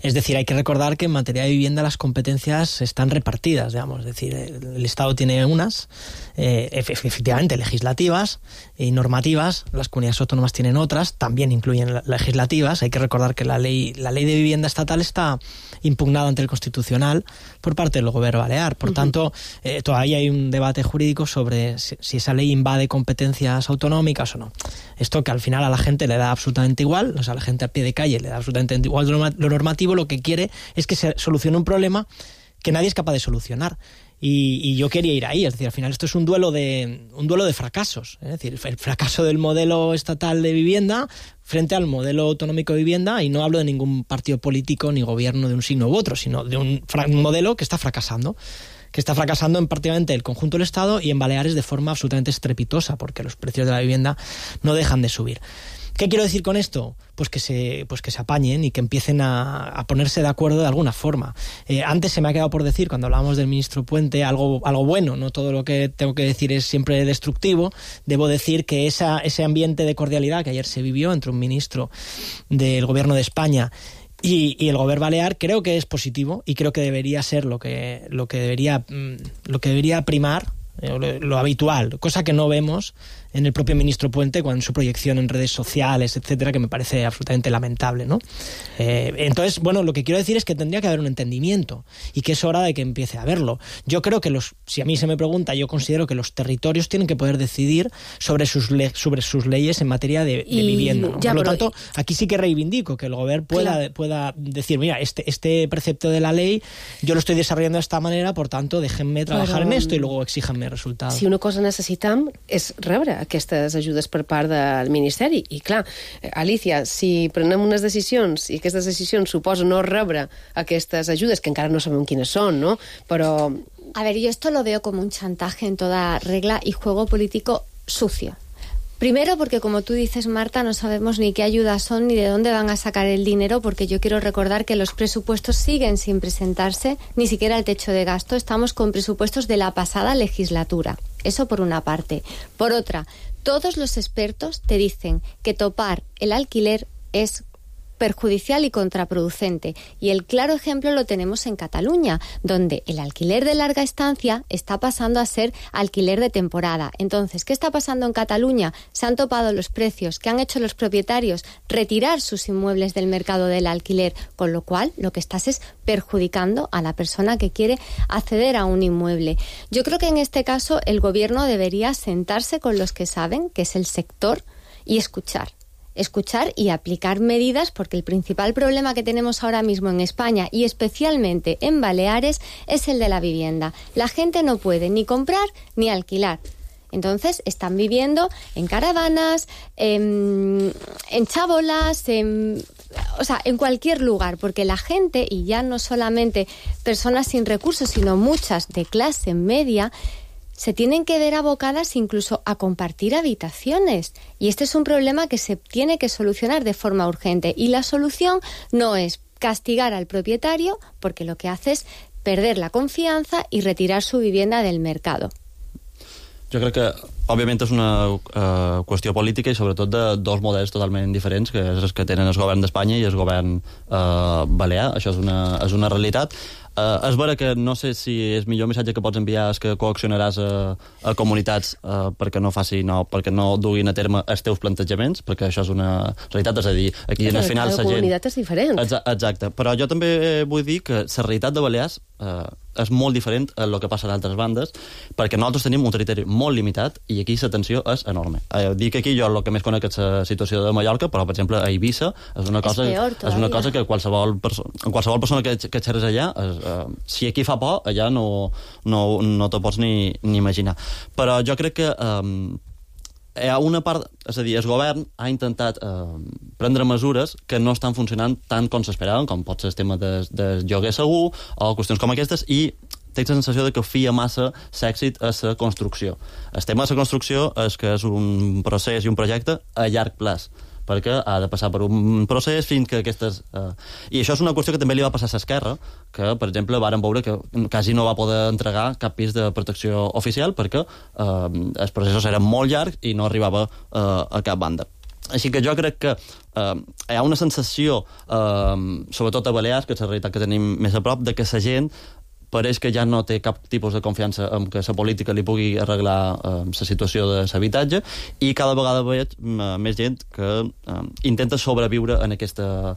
S15: Es decir, hay que recordar que en materia de vivienda las competencias están repartidas, digamos. Es decir, el Estado tiene unas, efectivamente, legislativas y normativas, las comunidades autónomas tienen otras, también incluyen legislativas. Hay que recordar que la ley de vivienda estatal está impugnada ante el Constitucional por parte del Gobierno Balear. Por tanto, todavía hay un debate jurídico sobre si esa ley invade competencias autonómicas o no. Esto que al final a la gente le da absolutamente igual, o sea, a la gente a pie de calle le da absolutamente igual lo normativo, lo que quiere es que se solucione un problema que nadie es capaz de solucionar. Y yo quería ir ahí, es decir, al final esto es un duelo de fracasos, es decir, el fracaso del modelo estatal de vivienda frente al modelo autonómico de vivienda, y no hablo de ningún partido político ni gobierno de un signo u otro, sino de un modelo que está fracasando en prácticamente el conjunto del Estado y en Baleares de forma absolutamente estrepitosa, porque los precios de la vivienda no dejan de subir. ¿Qué quiero decir con esto? Pues que se apañen y que empiecen a ponerse de acuerdo de alguna forma. Antes se me ha quedado por decir, cuando hablábamos del ministro Puente, algo bueno, no todo lo que tengo que decir es siempre destructivo. Debo decir que ese ambiente de cordialidad que ayer se vivió entre un ministro del Gobierno de España y el Gobierno Balear creo que es positivo, y creo que debería ser lo que debería primar, lo habitual, cosa que no vemos en el propio ministro Puente con su proyección en redes sociales, etcétera, que me parece absolutamente lamentable, ¿no? Entonces, bueno, lo que quiero decir es que tendría que haber un entendimiento y que es hora de que empiece a haberlo. Yo creo que si a mí se me pregunta, yo considero que los territorios tienen que poder decidir sobre sus leyes en materia de vivienda, ¿no? Por lo tanto, aquí sí que reivindico que el gobierno pueda decir, mira, este precepto de la ley yo lo estoy desarrollando de esta manera, por tanto, déjenme trabajar en esto y luego exíjanme resultados.
S9: Si una cosa necessitam és rebre aquestes ajudes per part del Ministeri. I clar, Alicia, si prenem unes decisions i aquestes decisions suposen no rebre aquestes ajudes, que encara no sabem quines són, ¿no? Però...
S13: A ver, yo esto lo veo como un chantaje en toda regla y juego político sucio. Primero porque, como tú dices, Marta, no sabemos ni qué ayudas son ni de dónde van a sacar el dinero, porque yo quiero recordar que los presupuestos siguen sin presentarse, ni siquiera el techo de gasto. Estamos con presupuestos de la pasada legislatura. Eso por una parte. Por otra, todos los expertos te dicen que topar el alquiler es perjudicial y contraproducente. Y el claro ejemplo lo tenemos en Cataluña, donde el alquiler de larga estancia está pasando a ser alquiler de temporada. Entonces, ¿qué está pasando en Cataluña? Se han topado los precios que han hecho los propietarios retirar sus inmuebles del mercado del alquiler, con lo cual lo que estás es perjudicando a la persona que quiere acceder a un inmueble. Yo creo que en este caso el gobierno debería sentarse con los que saben, que es el sector, y escuchar y aplicar medidas, porque el principal problema que tenemos ahora mismo en España y especialmente en Baleares es el de la vivienda. La gente no puede ni comprar ni alquilar. Entonces están viviendo en caravanas, en chabolas, en cualquier lugar, porque la gente, y ya no solamente personas sin recursos, sino muchas de clase media, se tienen que ver abocadas incluso a compartir habitaciones. Y este es un problema que se tiene que solucionar de forma urgente. Y la solución no es castigar al propietario, porque lo que hace es perder la confianza y retirar su vivienda del mercado.
S14: Jo crec que, òbviament, és una qüestió política i sobretot de dos models totalment diferents, que és els que tenen el govern d'Espanya i el govern balear. Això és una realitat. És vera que no sé si el millor missatge que pots enviar és que coaccionaràs a comunitats perquè no duguin a terme els teus plantejaments, perquè això és una realitat, és a dir, aquí al final la gent...
S9: La comunitat és diferent.
S14: Exacte, però jo també vull dir que la realitat de Balears és molt diferent a el que passa a altres bandes, perquè nosaltres tenim un territori molt limitat i aquí la tensió és enorme. Dic aquí jo el que més conec és la situació de Mallorca, però per exemple a Eivissa és una cosa que qualsevol persona que xerres allà, si aquí fa por, allà no t'ho pots ni imaginar. Però jo crec que hi ha una part, és a dir, el govern ha intentat prendre mesures que no estan funcionant tant com s'esperaven, com pot ser el tema del lloguer segur o qüestions com aquestes, i tinc la sensació de que fia massa l'èxit a la construcció. El tema de la construcció és que és un procés i un projecte a llarg plaç, perquè ha de passar per un procés fins que aquestes... I això és una qüestió que també li va passar a l'Esquerra, que, per exemple, varen veure que quasi no va poder entregar cap pis de protecció oficial perquè els processos eren molt llargs i no arribava a cap banda. Així que jo crec que hi ha una sensació, sobretot a Balears, que és la realitat que tenim més a prop, de que la gent pareix que ja no té cap tipus de confiança en que la política li pugui arreglar la situació de l'habitatge, i cada vegada veig més gent que intenta sobreviure en aquesta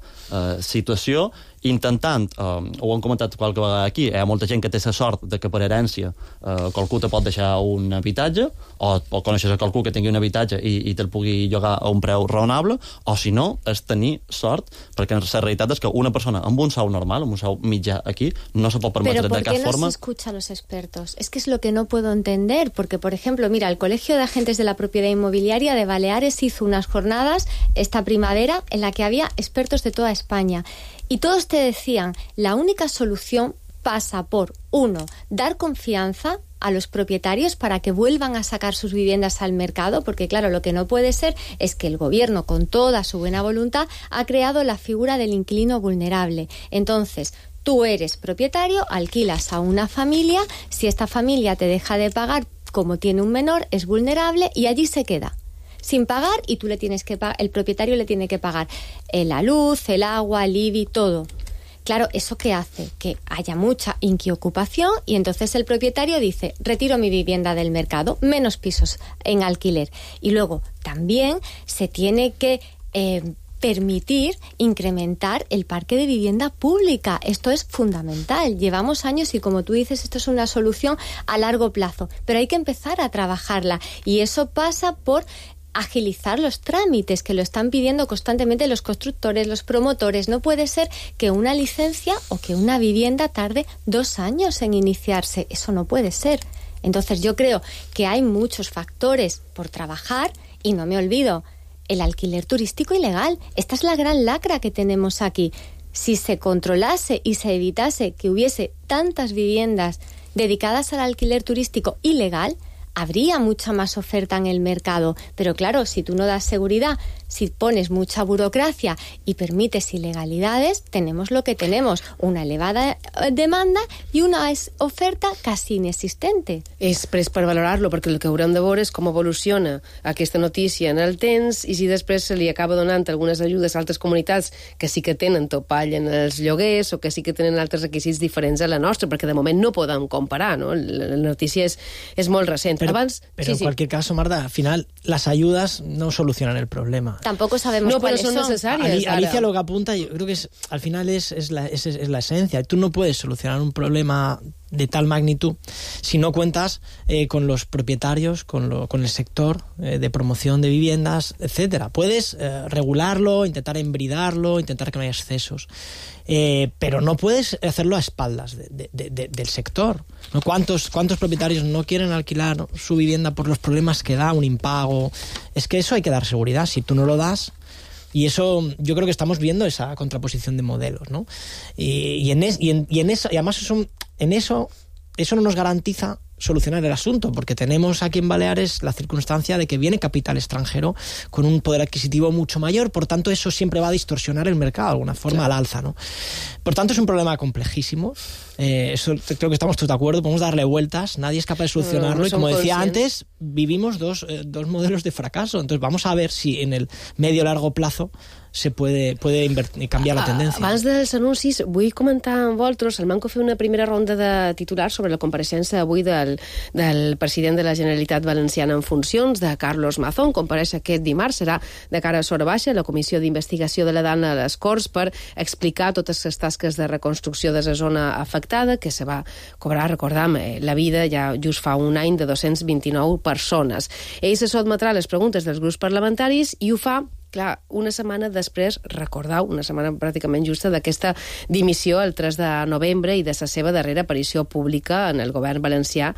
S14: situació, intentant, ho hem comentat qualque vegada aquí, hi ha molta gent que té la sort de que per herència qualcú te pot deixar un habitatge, o coneixes a qualcú que tingui un habitatge i te'l pugui llogar a un preu raonable, o si no, és tenir sort, perquè la realitat és que una persona amb un sou normal, amb un sou mitjà aquí, no se pot permetre de cap forma...
S13: ¿Pero por qué no se escucha a los expertos? Es que es lo que no puedo entender, porque, por ejemplo, mira, el Colegio de Agentes de la Propiedad Inmobiliaria de Baleares hizo unas jornadas esta primavera en la que había expertos de toda España. Y todos te decían, la única solución pasa por, 1, dar confianza a los propietarios para que vuelvan a sacar sus viviendas al mercado, porque claro, lo que no puede ser es que el gobierno, con toda su buena voluntad, ha creado la figura del inquilino vulnerable. Entonces, tú eres propietario, alquilas a una familia, si esta familia te deja de pagar, como tiene un menor, es vulnerable y allí se queda sin pagar, y tú le tienes que el propietario le tiene que pagar la luz, el agua, el IBI, todo. Claro, ¿eso qué hace? Que haya mucha inquiocupación y entonces el propietario dice, retiro mi vivienda del mercado, menos pisos en alquiler. Y luego también se tiene que permitir incrementar el parque de vivienda pública. Esto es fundamental. Llevamos años y, como tú dices, esto es una solución a largo plazo, pero hay que empezar a trabajarla, y eso pasa por agilizar los trámites que lo están pidiendo constantemente los constructores, los promotores. No puede ser que una licencia o que una vivienda tarde 2 años en iniciarse. Eso no puede ser. Entonces yo creo que hay muchos factores por trabajar, y no me olvido, el alquiler turístico ilegal. Esta es la gran lacra que tenemos aquí. Si se controlase y se evitase que hubiese tantas viviendas dedicadas al alquiler turístico ilegal, habría mucha más oferta en el mercado. Pero claro, si tú no das seguridad, si pones mucha burocracia y permites ilegalidades, tenemos lo que tenemos, una elevada demanda i una oferta quasi inexistente.
S9: És pres per valorar-lo, perquè el que haurem de veure és com evoluciona aquesta notícia en el temps i si després se li acaba donant algunes ajudes a altres comunitats que sí que tenen topall en els lloguers o que sí que tenen altres requisits diferents a la nostra, perquè de moment no podem comparar, ¿no? La notícia és molt recent.
S15: Pero en cualquier caso, Marta, al final las ayudas no solucionan el problema.
S13: Tampoco sabemos cuáles son.
S9: No, pero son necesarias.
S15: Alicia lo que apunta, yo creo que al final es la esencia. Tú no puedes solucionar un problema de tal magnitud si no cuentas con los propietarios, con el sector de promoción de viviendas, etcétera. Puedes regularlo, intentar embridarlo, intentar que no haya excesos, pero no puedes hacerlo a espaldas del sector, ¿no? ¿Cuántos propietarios no quieren alquilar su vivienda por los problemas que da un impago? Es que eso hay que dar seguridad. Si tú no lo das, y eso, yo creo que estamos viendo esa contraposición de modelos, ¿no? Y además eso no nos garantiza solucionar el asunto, porque tenemos aquí en Baleares la circunstancia de que viene capital extranjero con un poder adquisitivo mucho mayor, por tanto eso siempre va a distorsionar el mercado de alguna forma al alza, ¿no? Por tanto es un problema complejísimo, eso creo que estamos todos de acuerdo, podemos darle vueltas, nadie es capaz de solucionarlo y como decía antes, vivimos dos modelos de fracaso, entonces vamos a ver si en el medio largo plazo se puede canviar la tendència.
S9: Abans dels anuncis, vull comentar amb vosaltres, el Manco fer una primera ronda de titulars sobre la compareixença avui del president de la Generalitat Valenciana en funcions, de Carlos Mazón. Compareix aquest dimarts, serà de cara a Sora Baixa, la Comissió d'Investigació de la Dana a les Corts, per explicar totes les tasques de reconstrucció de la zona afectada, que se va cobrar, recordam, la vida ja just fa un any de 229 persones. Ell se sotmetrà les preguntes dels grups parlamentaris i ho fa clar, una setmana després, recordeu, una setmana pràcticament justa d'aquesta dimissió el 3 de novembre i de la seva darrera aparició pública en el govern valencià.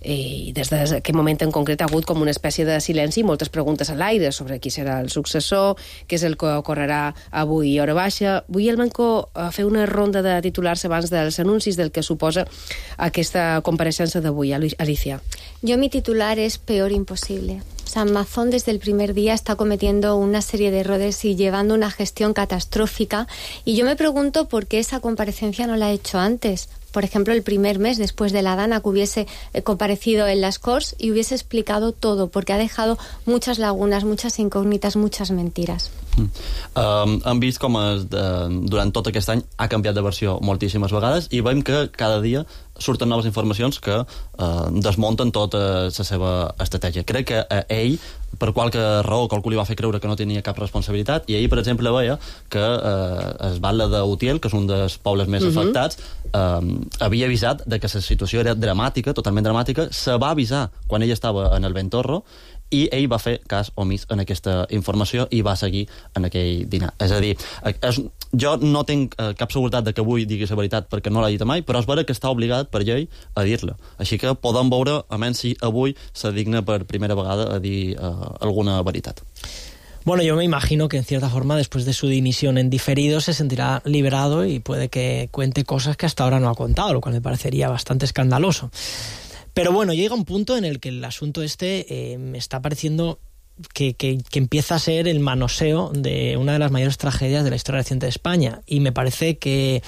S9: I des d'aquest moment en concret ha hagut com una espècie de silenci i moltes preguntes a l'aire sobre qui serà el successor, què és el que ocorrerà avui a hora baixa. Vull el Manco fer una ronda de titulars abans dels anuncis del que suposa aquesta compareixença d'avui. Alicia.
S13: Yo mi titular es peor imposible. O sea, Mazón desde el primer día está cometiendo una serie de errores y llevando una gestión catastrófica. Y yo me pregunto por qué esa comparecencia no la ha hecho antes. Por ejemplo, el primer mes después de la Dana, que hubiese comparecido en las Corts y hubiese explicado todo, porque ha dejado muchas lagunas, muchas incògnites, muchas mentiras.
S14: Hem vist com durant tot aquest any ha canviat de versió moltíssimes vegades i veiem que cada dia surten noves informacions que desmunten tota la seva estratègia. Crec que ell, per qualque raó, qualcú li va fer creure que no tenia cap responsabilitat, i ell, per exemple, veia que es Batlle d'Utiel, que és un dels pobles més afectats, havia avisat de que la situació era dramàtica, totalment dramàtica, se va avisar quan ell estava en el Ventorro, i ell va fer cas omís en aquesta informació i va seguir en aquell dinar. És a dir, jo no tinc cap seguretat de que avui digui la veritat perquè no l'ha dit mai, però és vera que està obligat per llei a dir-la. Així que podem veure, almenys si avui se digna per primera vegada a dir alguna veritat.
S15: Bueno, yo me imagino que en cierta forma después de su dimisión en diferido se sentirá liberado y puede que cuente cosas que hasta ahora no ha contado, lo cual me parecería bastante escandaloso. Pero bueno, llega un punto en el que el asunto me está pareciendo que empieza a ser el manoseo de una de las mayores tragedias de la historia reciente de España. Y me parece que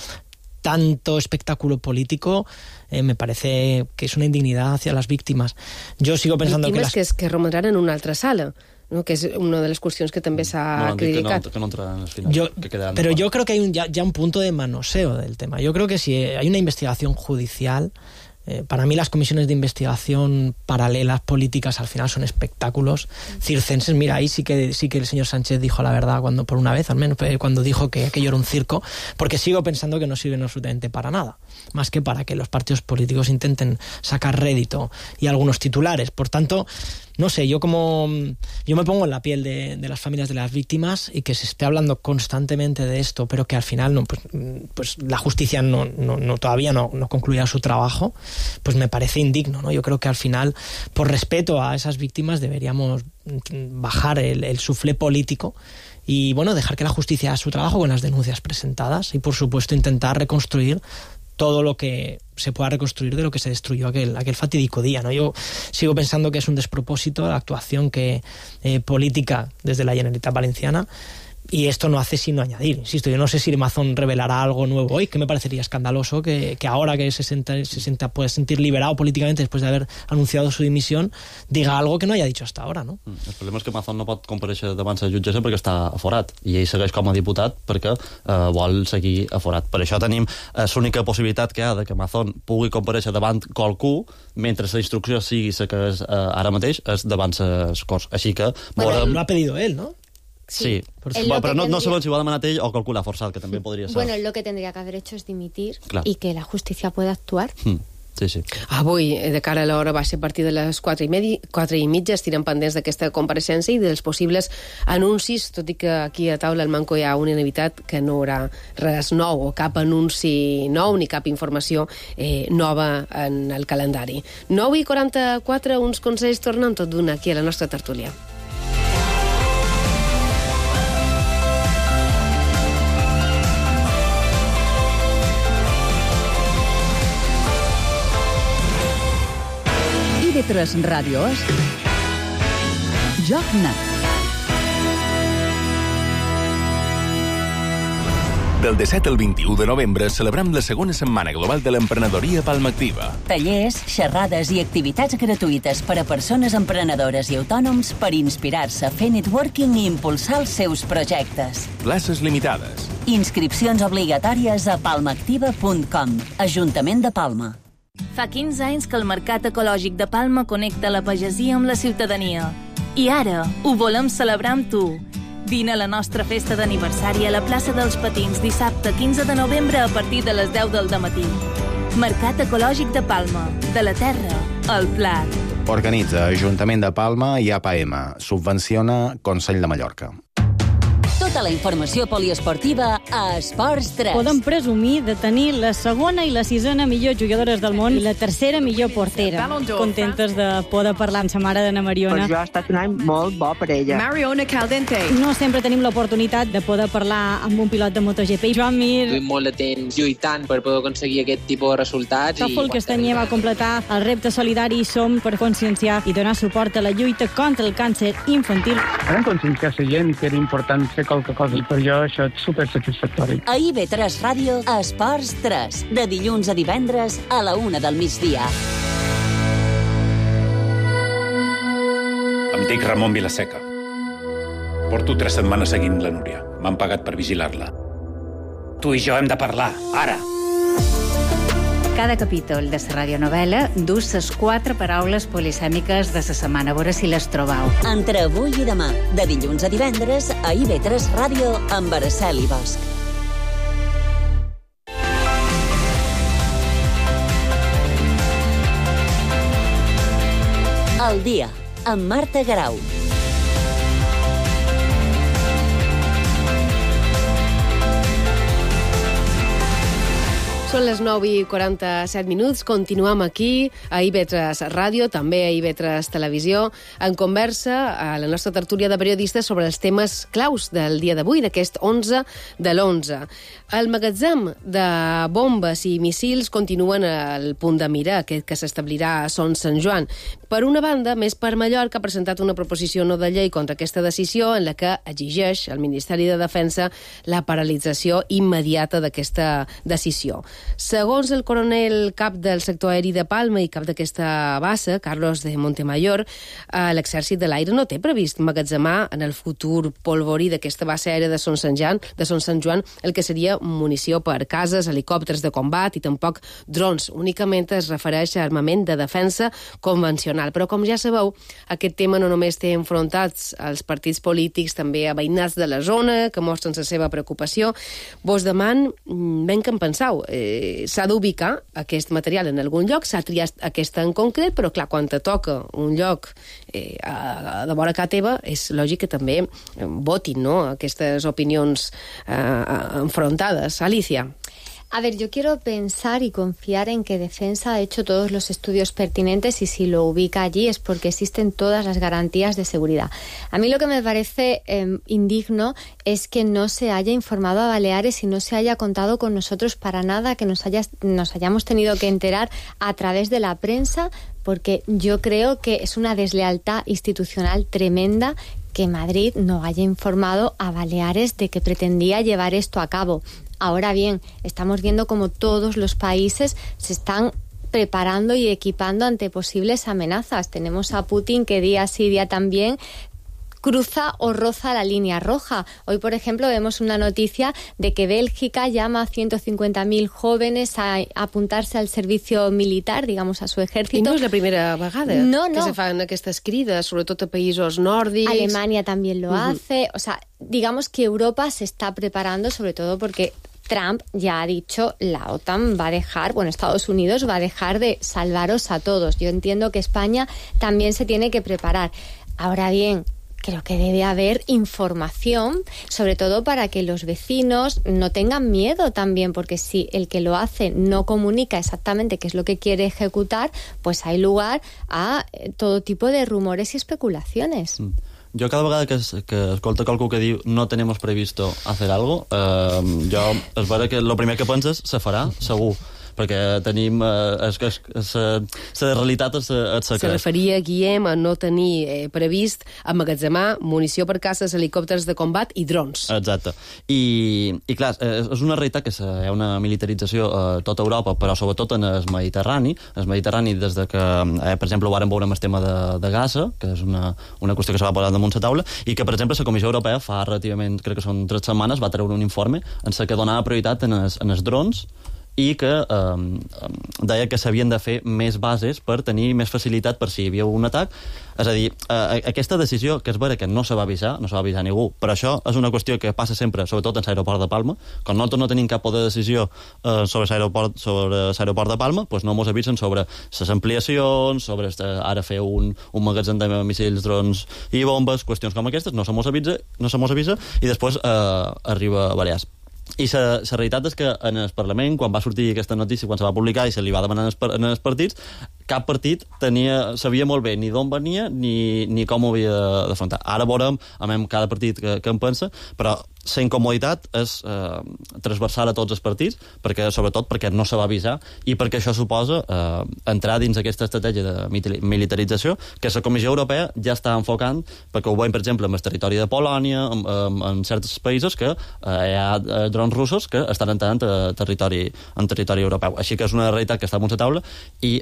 S15: tanto espectáculo político me parece que es una indignidad hacia las víctimas. Yo sigo pensando
S9: víctimes que romandran en una altra sala, ¿no? Que és una de les qüestions que també s'ha criticat.
S14: Que no entraran al final.
S15: Pero yo creo que hay ya un punto de manoseo del tema. Yo creo que si hay una investigación judicial... Para mí las comisiones de investigación paralelas políticas al final son espectáculos circenses. Mira, ahí sí que el señor Sánchez dijo la verdad cuando por una vez, al menos cuando dijo que aquello era un circo, porque sigo pensando que no sirven absolutamente para nada, más que para que los partidos políticos intenten sacar rédito y algunos titulares. Por tanto, no sé, yo me pongo en la piel de las familias de las víctimas y que se esté hablando constantemente de esto, pero que al final pues la justicia todavía no concluya su trabajo, pues me parece indigno, ¿no? Yo creo que al final, por respeto a esas víctimas, deberíamos bajar el suflé político y bueno, dejar que la justicia haga su trabajo con las denuncias presentadas y por supuesto intentar reconstruir todo lo que se pueda reconstruir de lo que se destruyó aquel fatídico día, ¿no? Yo sigo pensando que es un despropósito la actuación política desde la Generalitat Valenciana, y esto no hace sino añadir. Insisto, yo no sé si Mazón revelará algo nuevo hoy, que me parecería escandaloso que ahora que se puede sentir liberado políticamente después de haber anunciado su dimisión, diga algo que no haya dicho hasta ahora, no?
S14: El problema és que Mazón no pot comparèixer davant la jutgessa perquè està aforat, i ell segueix com a diputat perquè vol seguir aforat. Per això tenim l'única possibilitat que hi ha de que Mazón pugui comparèixer davant qualcú, mentre la instrucció sigui la que és ara mateix, és davant les Corts. Així que...
S15: Bueno, lo ha pedido él, ¿no?
S14: Sí, pero no sabemos si va a demanat ell o calcula forzat, que també podria ser.
S13: Bueno, lo que tendría que haber hecho es dimitir
S14: Clar.
S13: y que la justicia pueda actuar.
S14: Sí, sí.
S9: Avui, de cara a l'hora, va ser a partir de les 4:30, estirem pendents d'aquesta compareixença i dels possibles anuncis, tot i que aquí a taula al Manco hi ha una unanimitat que no hi haurà res nou, o cap anunci nou, ni cap informació nova en el calendari. 9:44, uns consells tornen tot d'una aquí a la nostra tertúlia.
S6: TV3 Ràdio és Joc Net.
S17: Del 17 al 21 de novembre celebrem la segona setmana global de l'emprenedoria Palma Activa.
S7: Tallers, xerrades i activitats gratuïtes per a persones emprenedores i autònoms per inspirar-se, fer networking i impulsar els seus projectes.
S17: Places limitades.
S7: Inscripcions obligatòries a palmaactiva.com. Ajuntament de Palma.
S18: Fa 15 anys que el Mercat Ecològic de Palma connecta la pagesia amb la ciutadania. I ara ho volem celebrar amb tu. Vine a la nostra festa d'aniversari a la plaça dels Patins dissabte 15 de novembre a partir de les 10 del matí. Mercat Ecològic de Palma. De la terra al plat.
S19: Organitza Ajuntament de Palma i APM. Subvenciona Consell de Mallorca.
S7: Tota la informació poliesportiva a Esports 3.
S20: Podem presumir de tenir la segona i la sisena millors jugadores del món i la tercera millor portera. Contentes de poder parlar amb sa mare d'Anna Mariona.
S21: Per jo ha estat un any molt bo per ella.
S20: Mariona Caldente. No sempre tenim l'oportunitat de poder parlar amb un pilot de MotoGP. Joan Mir.
S22: Duim molt de temps lluitant per poder aconseguir aquest tipus de resultats.
S20: Tòfol Castanyer va completar el repte solidari Som per conscienciar i donar suport a la lluita contra el càncer infantil.
S23: Vam conscienciar la gent que era important fer qualque cosa i per jo això és supersatisfactori.
S7: A IB3 Ràdio, Esports 3, de dilluns a divendres a la 1 del migdia.
S24: Em dic Ramon Vilaseca. Porto 3 setmanes seguint la Núria. M'han pagat per vigilar-la. Tu i jo hem de parlar, ara.
S25: Cada capítol de la radionovel·la dus les 4 paraules polisèmiques de la setmana. A veure si les trobau.
S7: Entre avui i demà, de dilluns a divendres, a IB3 Ràdio, amb Araceli Bosch. El dia, amb Marta Garau.
S9: Són les 9:47. Continuem aquí a IB3 Ràdio, també a IB3 Televisió, en conversa a la nostra tertúlia de periodistes sobre els temes claus del dia d'avui, d'aquest 11 de l'11. El magatzem de bombes i missils continuen al punt de mira, aquest que s'establirà a Son Sant Joan. Per una banda, Més per Mallorca ha presentat una proposició no de llei contra aquesta decisió en la que exigeix al Ministeri de Defensa la paralització immediata d'aquesta decisió. Segons el coronel cap del sector aeri de Palma i cap d'aquesta base, Carlos de Montemayor, l'exèrcit de l'aire no té previst emmagatzemar en el futur polvorí d'aquesta base aèria de Son Sant Joan el que seria munició per cases, helicòpters de combat i tampoc drons. Únicament es refereix a armament de defensa convencional. Però, com ja sabeu, aquest tema no només té enfrontats als partits polítics, també a veïnats de la zona, que mostren la seva preocupació. Vos deman, ben que en penseu, s'ha d'ubicar aquest material en algun lloc, s'ha triat aquesta en concret, però clar, quan te toca un lloc de vora casa teva, és lògic que també votin, no?, aquestes opinions enfrontades. Alicia.
S13: A ver, yo quiero pensar y confiar en que Defensa ha hecho todos los estudios pertinentes y si lo ubica allí es porque existen todas las garantías de seguridad. A mí lo que me parece indigno es que no se haya informado a Baleares y no se haya contado con nosotros para nada, que nos hayamos tenido que enterar a través de la prensa, porque yo creo que es una deslealtad institucional tremenda que Madrid no haya informado a Baleares de que pretendía llevar esto a cabo. Ahora bien, estamos viendo cómo todos los países se están preparando y equipando ante posibles amenazas. Tenemos a Putin que día sí día también cruza o roza la línea roja. Hoy, por ejemplo, vemos una noticia de que Bèlgica llama a 150.000 jóvenes a apuntarse al servicio militar, digamos, a su ejército.
S9: I no és la primera vegada que se fan aquestes crides, sobretot a països nòrdics.
S13: Alemania también lo hace. O sea, digamos que Europa se está preparando, sobre todo porque Trump ya ha dicho, la OTAN va a dejar, Estados Unidos va a dejar de salvaros a todos. Yo entiendo que España también se tiene que preparar. Ahora bien, creo que debe haber información, sobre todo para que los vecinos no tengan miedo también, porque si el que lo hace no comunica exactamente qué es lo que quiere ejecutar, pues hay lugar a todo tipo de rumores y especulaciones.
S14: Jo cada vegada que escolto qualcú que diu no tenemos previsto hacer algo, jo és vera que el primer que penses se farà, segur, perquè tenim... La realitat és secret.
S9: Se referia, Guillem, a no tenir previst emmagatzemar munició per caces, helicòpters de combat i drons.
S14: Exacte. I clar, és una realitat que hi ha una militarització a tota Europa, però sobretot en el Mediterrani. El Mediterrani, des de que, per exemple, ho vàrem veure amb el tema de Gaza, que és una qüestió que se va posar damunt la taula, i que, per exemple, la Comissió Europea fa relativament, crec que són 3 setmanes, va treure un informe en què donava prioritat en els drons i que deia que s'havien de fer més bases per tenir més facilitat per si hi havia un atac. És a dir, aquesta decisió, que és vera que no se va avisar ningú, però això és una qüestió que passa sempre, sobretot en l'aeroport de Palma. Quan nosaltres no tenim cap poder de decisió sobre l'aeroport de Palma, doncs no ens avisen sobre les ampliacions, sobre ara fer un magatzem de missils, drons i bombes, qüestions com aquestes, no se mos avisa i després arriba a Balears. I la realitat és que en el Parlament, quan va sortir aquesta notícia, quan se va publicar i se li va demanar en els partits, cap partit sabia molt bé ni d'on venia ni com ho havia d'afrontar. Ara veurem cada partit que en pensa, però la incomoditat és transversal a tots els partits, sobretot perquè no se va avisar i perquè això suposa entrar dins aquesta estratègia de militarització que la Comissió Europea ja està enfocant, perquè ho veiem, per exemple, en el territori de Polònia, en certs països que hi ha drons russos que estan entrant en territori europeu. Així que és una realitat que està damunt la taula i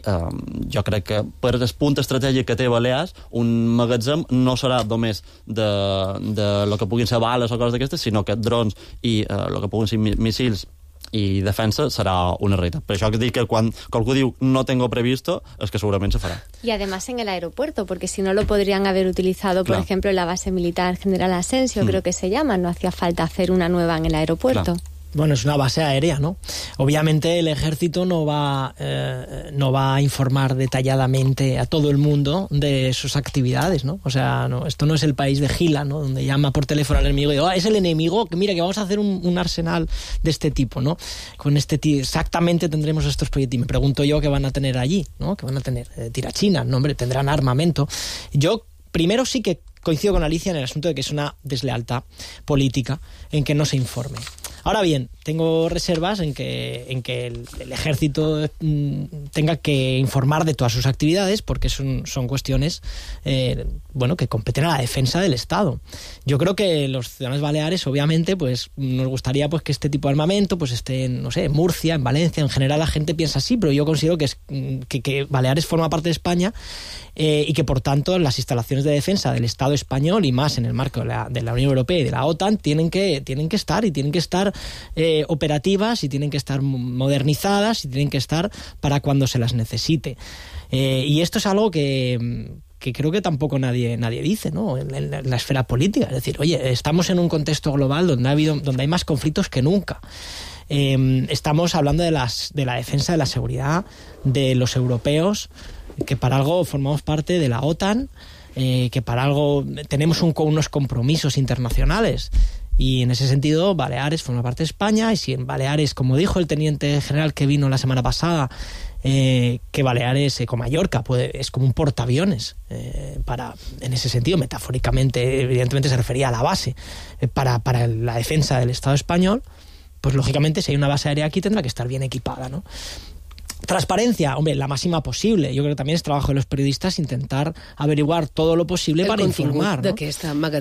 S14: jo crec que per el punt estratègic que té Balears, un magatzem no serà només de lo que puguin ser bales o coses d'aquestes, sinó que drons i el que puguin ser missils i defensa serà una realitat. Per això que dic que quan qualcú diu no tengo previsto, es que segurament se farà.
S13: Y además en el aeropuerto, porque si no lo podrían haber utilizado, por ejemplo, en la base militar General Asensio, creo que se llama, no hacía falta hacer una nueva en el aeropuerto.
S15: Claro. Bueno, es una base aérea, ¿no? Obviamente el ejército no va a informar detalladamente a todo el mundo de sus actividades, ¿no? O sea, esto no es el país de Gila, ¿no? Donde llama por teléfono al enemigo y dice, es el enemigo, que mira, que vamos a hacer un arsenal de este tipo, ¿no? Con exactamente tendremos estos proyectos. Y me pregunto yo qué van a tener allí, ¿no? ¿Qué van a tener? Tirachinas, ¿no? Hombre, tendrán armamento. Yo primero sí que coincido con Alicia en el asunto de que es una deslealtad política en que no se informe. Ahora bien, tengo reservas en que el ejército tenga que informar de todas sus actividades porque son cuestiones que competen a la defensa del Estado. Yo creo que los ciudadanos baleares, obviamente, pues nos gustaría pues que este tipo de armamento pues esté en Murcia, en Valencia. En general la gente piensa así, pero yo considero que Baleares forma parte de España y que por tanto las instalaciones de defensa del Estado español y más en el marco de la Unión Europea y de la OTAN tienen que estar operativas y tienen que estar modernizadas y tienen que estar para cuando se las necesite. Y esto es algo que creo que tampoco nadie dice, ¿no? En la esfera política. Es decir, oye, estamos en un contexto global donde hay más conflictos que nunca. Estamos hablando de la defensa de la seguridad de los europeos, que para algo formamos parte de la OTAN, que para algo tenemos unos compromisos internacionales. Y en ese sentido, Baleares forma parte de España, y si en Baleares, como dijo el teniente general que vino la semana pasada, que Baleares con Mallorca es como un portaaviones, en ese sentido, metafóricamente, evidentemente se refería a la base, para la defensa del Estado español, pues lógicamente si hay una base aérea aquí tendrá que estar bien equipada, ¿no? Transparencia, hombre, la máxima posible. Jo crec que també és trabajo de los periodistas intentar averiguar todo lo posible para informar, ¿no?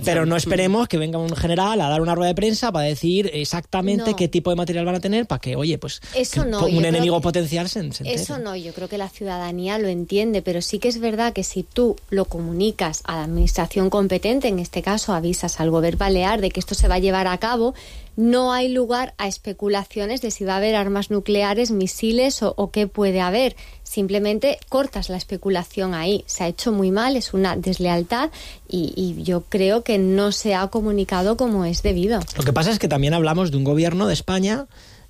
S15: Pero no esperemos que venga un general a dar una rueda de prensa para decir exactamente qué tipo de material van a tener para que, oye, pues
S13: eso no,
S15: un enemigo potencial se entere.
S13: Eso no, yo creo que la ciudadanía lo entiende, pero sí que es verdad que si tú lo comunicas a la administración competente, en este caso avisas al gobierno balear de que esto se va a llevar a cabo, no hay lugar a especulaciones de si va a haber armas nucleares, misiles o qué puede haber. Simplemente cortas la especulación ahí. Se ha hecho muy mal, es una deslealtad y yo creo que no se ha comunicado como es debido.
S15: Lo que pasa es que también hablamos de un gobierno de España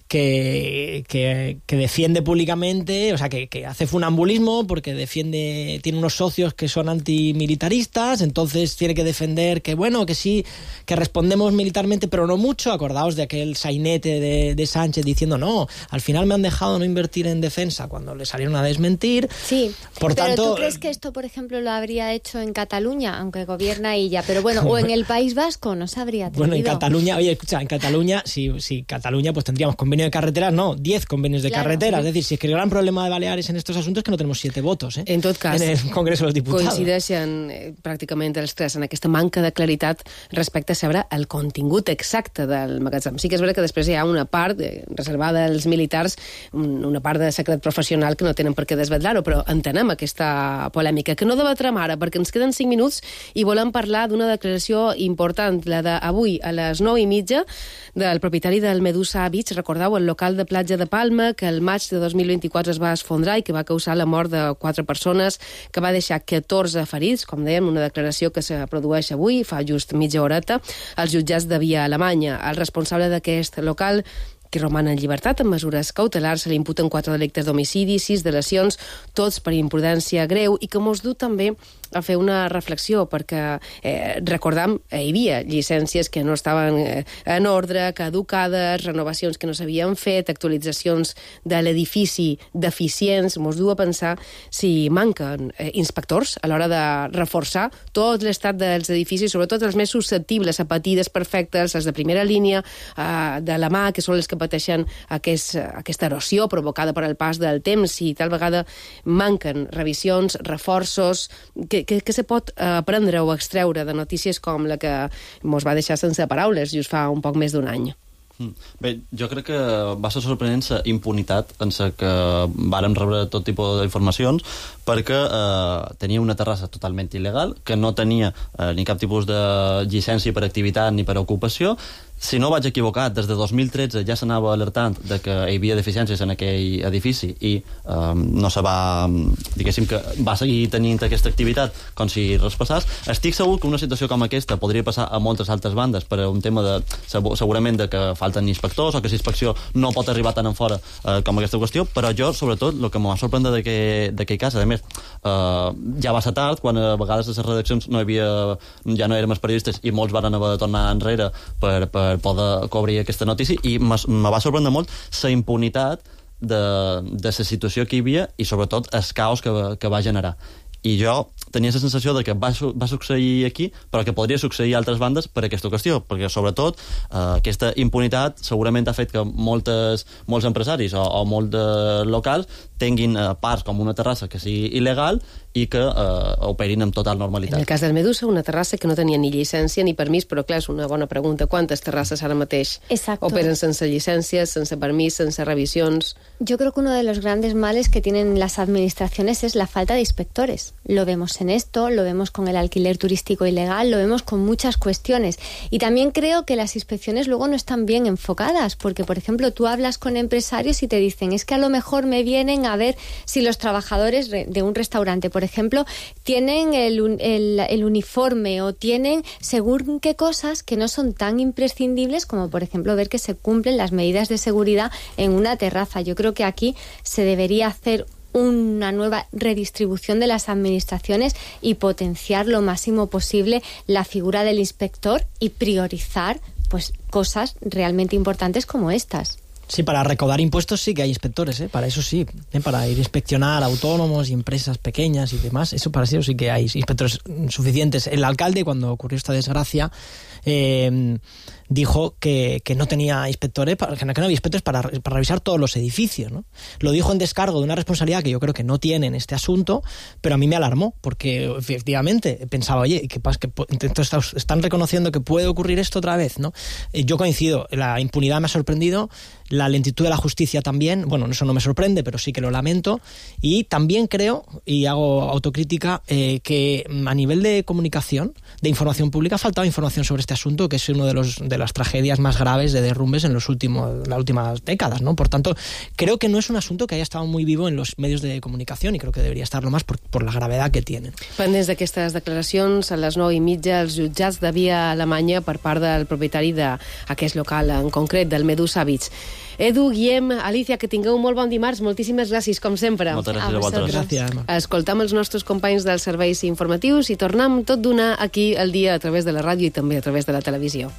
S15: que defiende públicamente, o sea, que hace funambulismo porque tiene unos socios que son antimilitaristas, entonces tiene que defender que, bueno, que sí, que respondemos militarmente, pero no mucho. Acordaos de aquel sainete de Sánchez diciendo, no, al final me han dejado no invertir en defensa, cuando le salieron a desmentir.
S13: Sí,
S15: por
S13: pero
S15: tanto,
S13: ¿tú crees que esto, por ejemplo, lo habría hecho en Cataluña, aunque gobierna ella? Pero bueno, o en el País Vasco, no se habría atrevido.
S15: Bueno, en Cataluña, oye, escucha, en Cataluña, si Cataluña, pues tendríamos convenio de carreteras, no, 10 convenios de carreteras. Es decir, si es que el gran problema de Baleares en estos asuntos es que no tenemos 7 votos,
S9: En tot cas,
S15: en el Congreso de los Diputados.
S9: Coincideixen pràcticament els tres en aquesta manca de claritat respecte a saber el contingut exacte del magatzem. Sí que és veritat que després hi ha una part reservada als militars, una part de secret professional que no tenen per què desvetllar-ho, però entenem aquesta polèmica, que no debatrem ara, perquè ens queden 5 minuts i volem parlar d'una declaració important, la d'avui a les 9:30, del propietari del Medusa Beach. Recordeu, el local de platja de Palma, que el maig de 2024 es va esfondrar i que va causar la mort de 4 persones, que va deixar 14 ferits, com dèiem, una declaració que se produeix avui, fa just mitja horeta, als jutjats de Via Alemanya. El responsable d'aquest local, que roman en llibertat amb mesures cautelars, se li imputen 4 delictes d'homicidi, 6 de lesions, tots per imprudència greu, i que mos du també a fer una reflexió, perquè recordam, hi havia llicències que no estaven en ordre, caducades, renovacions que no s'havien fet, actualitzacions de l'edifici deficients. Mos du a pensar si manquen inspectors a l'hora de reforçar tot l'estat dels edificis, sobretot els més susceptibles a patir desperfectes, els de primera línia de la mà, que són els que pateixen aquesta erosió provocada per el pas del temps, i tal vegada manquen revisions, reforços. Què se pot aprendre o extreure de notícies com la que mos va deixar sense paraules just fa un poc més d'un any?
S14: Bé, jo crec que va ser sorprenent la impunitat en la que vàrem rebre tot tipus d'informacions, perquè tenia una terrassa totalment il·legal, que no tenia ni cap tipus de llicència per activitat ni per ocupació. Si no vaig equivocat, des de 2013 ja s'anava alertant de que hi havia deficiències en aquell edifici i no se va, diguéssim, que va seguir tenint aquesta activitat com si res passés. Estic segur que una situació com aquesta podria passar a moltes altres bandes per un tema de, segurament, de que falten inspectors o que la inspecció no pot arribar tan en fora com aquesta qüestió, però jo, sobretot, el que m'ha sorprendre d'aquell cas, a més, ja va ser tard, quan a vegades a les redaccions ja no érem els periodistes i molts van haver de tornar enrere per poder cobrir aquesta notícia, i me va sorprendre molt la impunitat de la situació que hi havia i sobretot el caos que va generar. I jo tenia la sensació de que va succeir aquí, però que podria succeir a altres bandes per aquesta qüestió, perquè sobretot aquesta impunitat segurament ha fet que molts empresaris o molts locals tinguin parts com una terrassa que sigui il·legal i que operin amb total normalitat.
S9: En el cas del Medusa, una terrassa que no tenia ni llicència ni permís, però clar, és una bona pregunta. Quantes terrasses ara mateix operen sense llicències, sense permís, sense revisions?
S13: Yo creo que uno de los grandes males que tienen las administraciones es la falta de inspectores. Lo vemos en esto, lo vemos con el alquiler turístico ilegal, lo vemos con muchas cuestiones. Y también creo que las inspecciones luego no están bien enfocadas, porque, por ejemplo, tú hablas con empresarios y te dicen, es que a lo mejor me vienen a ver si los trabajadores de un restaurante, por ejemplo, tienen el uniforme o tienen según qué cosas que no son tan imprescindibles como, por ejemplo, ver que se cumplen las medidas de seguridad en una terraza. Yo creo que aquí se debería hacer una nueva redistribución de las administraciones y potenciar lo máximo posible la figura del inspector y priorizar pues cosas realmente importantes como estas.
S15: Sí, para recaudar impuestos sí que hay inspectores, para eso sí, para ir a inspeccionar autónomos y empresas pequeñas y demás, eso para eso sí que hay inspectores suficientes. El alcalde, cuando ocurrió esta desgracia, dijo que no tenía inspectores, que no había inspectores para revisar todos los edificios, ¿no? Lo dijo en descargo de una responsabilidad que yo creo que no tiene en este asunto, pero a mí me alarmó, porque efectivamente pensaba, oye, ¿qué pasa? Entonces están reconociendo que puede ocurrir esto otra vez, ¿no? Yo coincido, la impunidad me ha sorprendido, la lentitud de la justicia también, bueno, eso no me sorprende, pero sí que lo lamento, y también creo, y hago autocrítica, que a nivel de comunicación, de información pública, ha faltado información sobre este asunto, que es uno de las tragedias más graves de derrumbes en las últimas décadas, ¿no? Por tanto, creo que no es un asunto que haya estado muy vivo en los medios de comunicación, y creo que debería estarlo más por la gravedad que tienen.
S9: Pendents d'aquestes declaracions, a les 9:30 els jutjats de Via Alemanya per part del propietari d'aquest local, en concret del Medusa Beach. Edu, Guillem, Alicia, que tingueu un molt bon dimarts. Moltíssimes gràcies, com sempre.
S14: Moltes gràcies a vosaltres.
S15: Gràcies.
S9: Escoltam els nostres companys dels serveis informatius i tornem tot d'una aquí al dia a través de la ràdio i també a través de la televisió.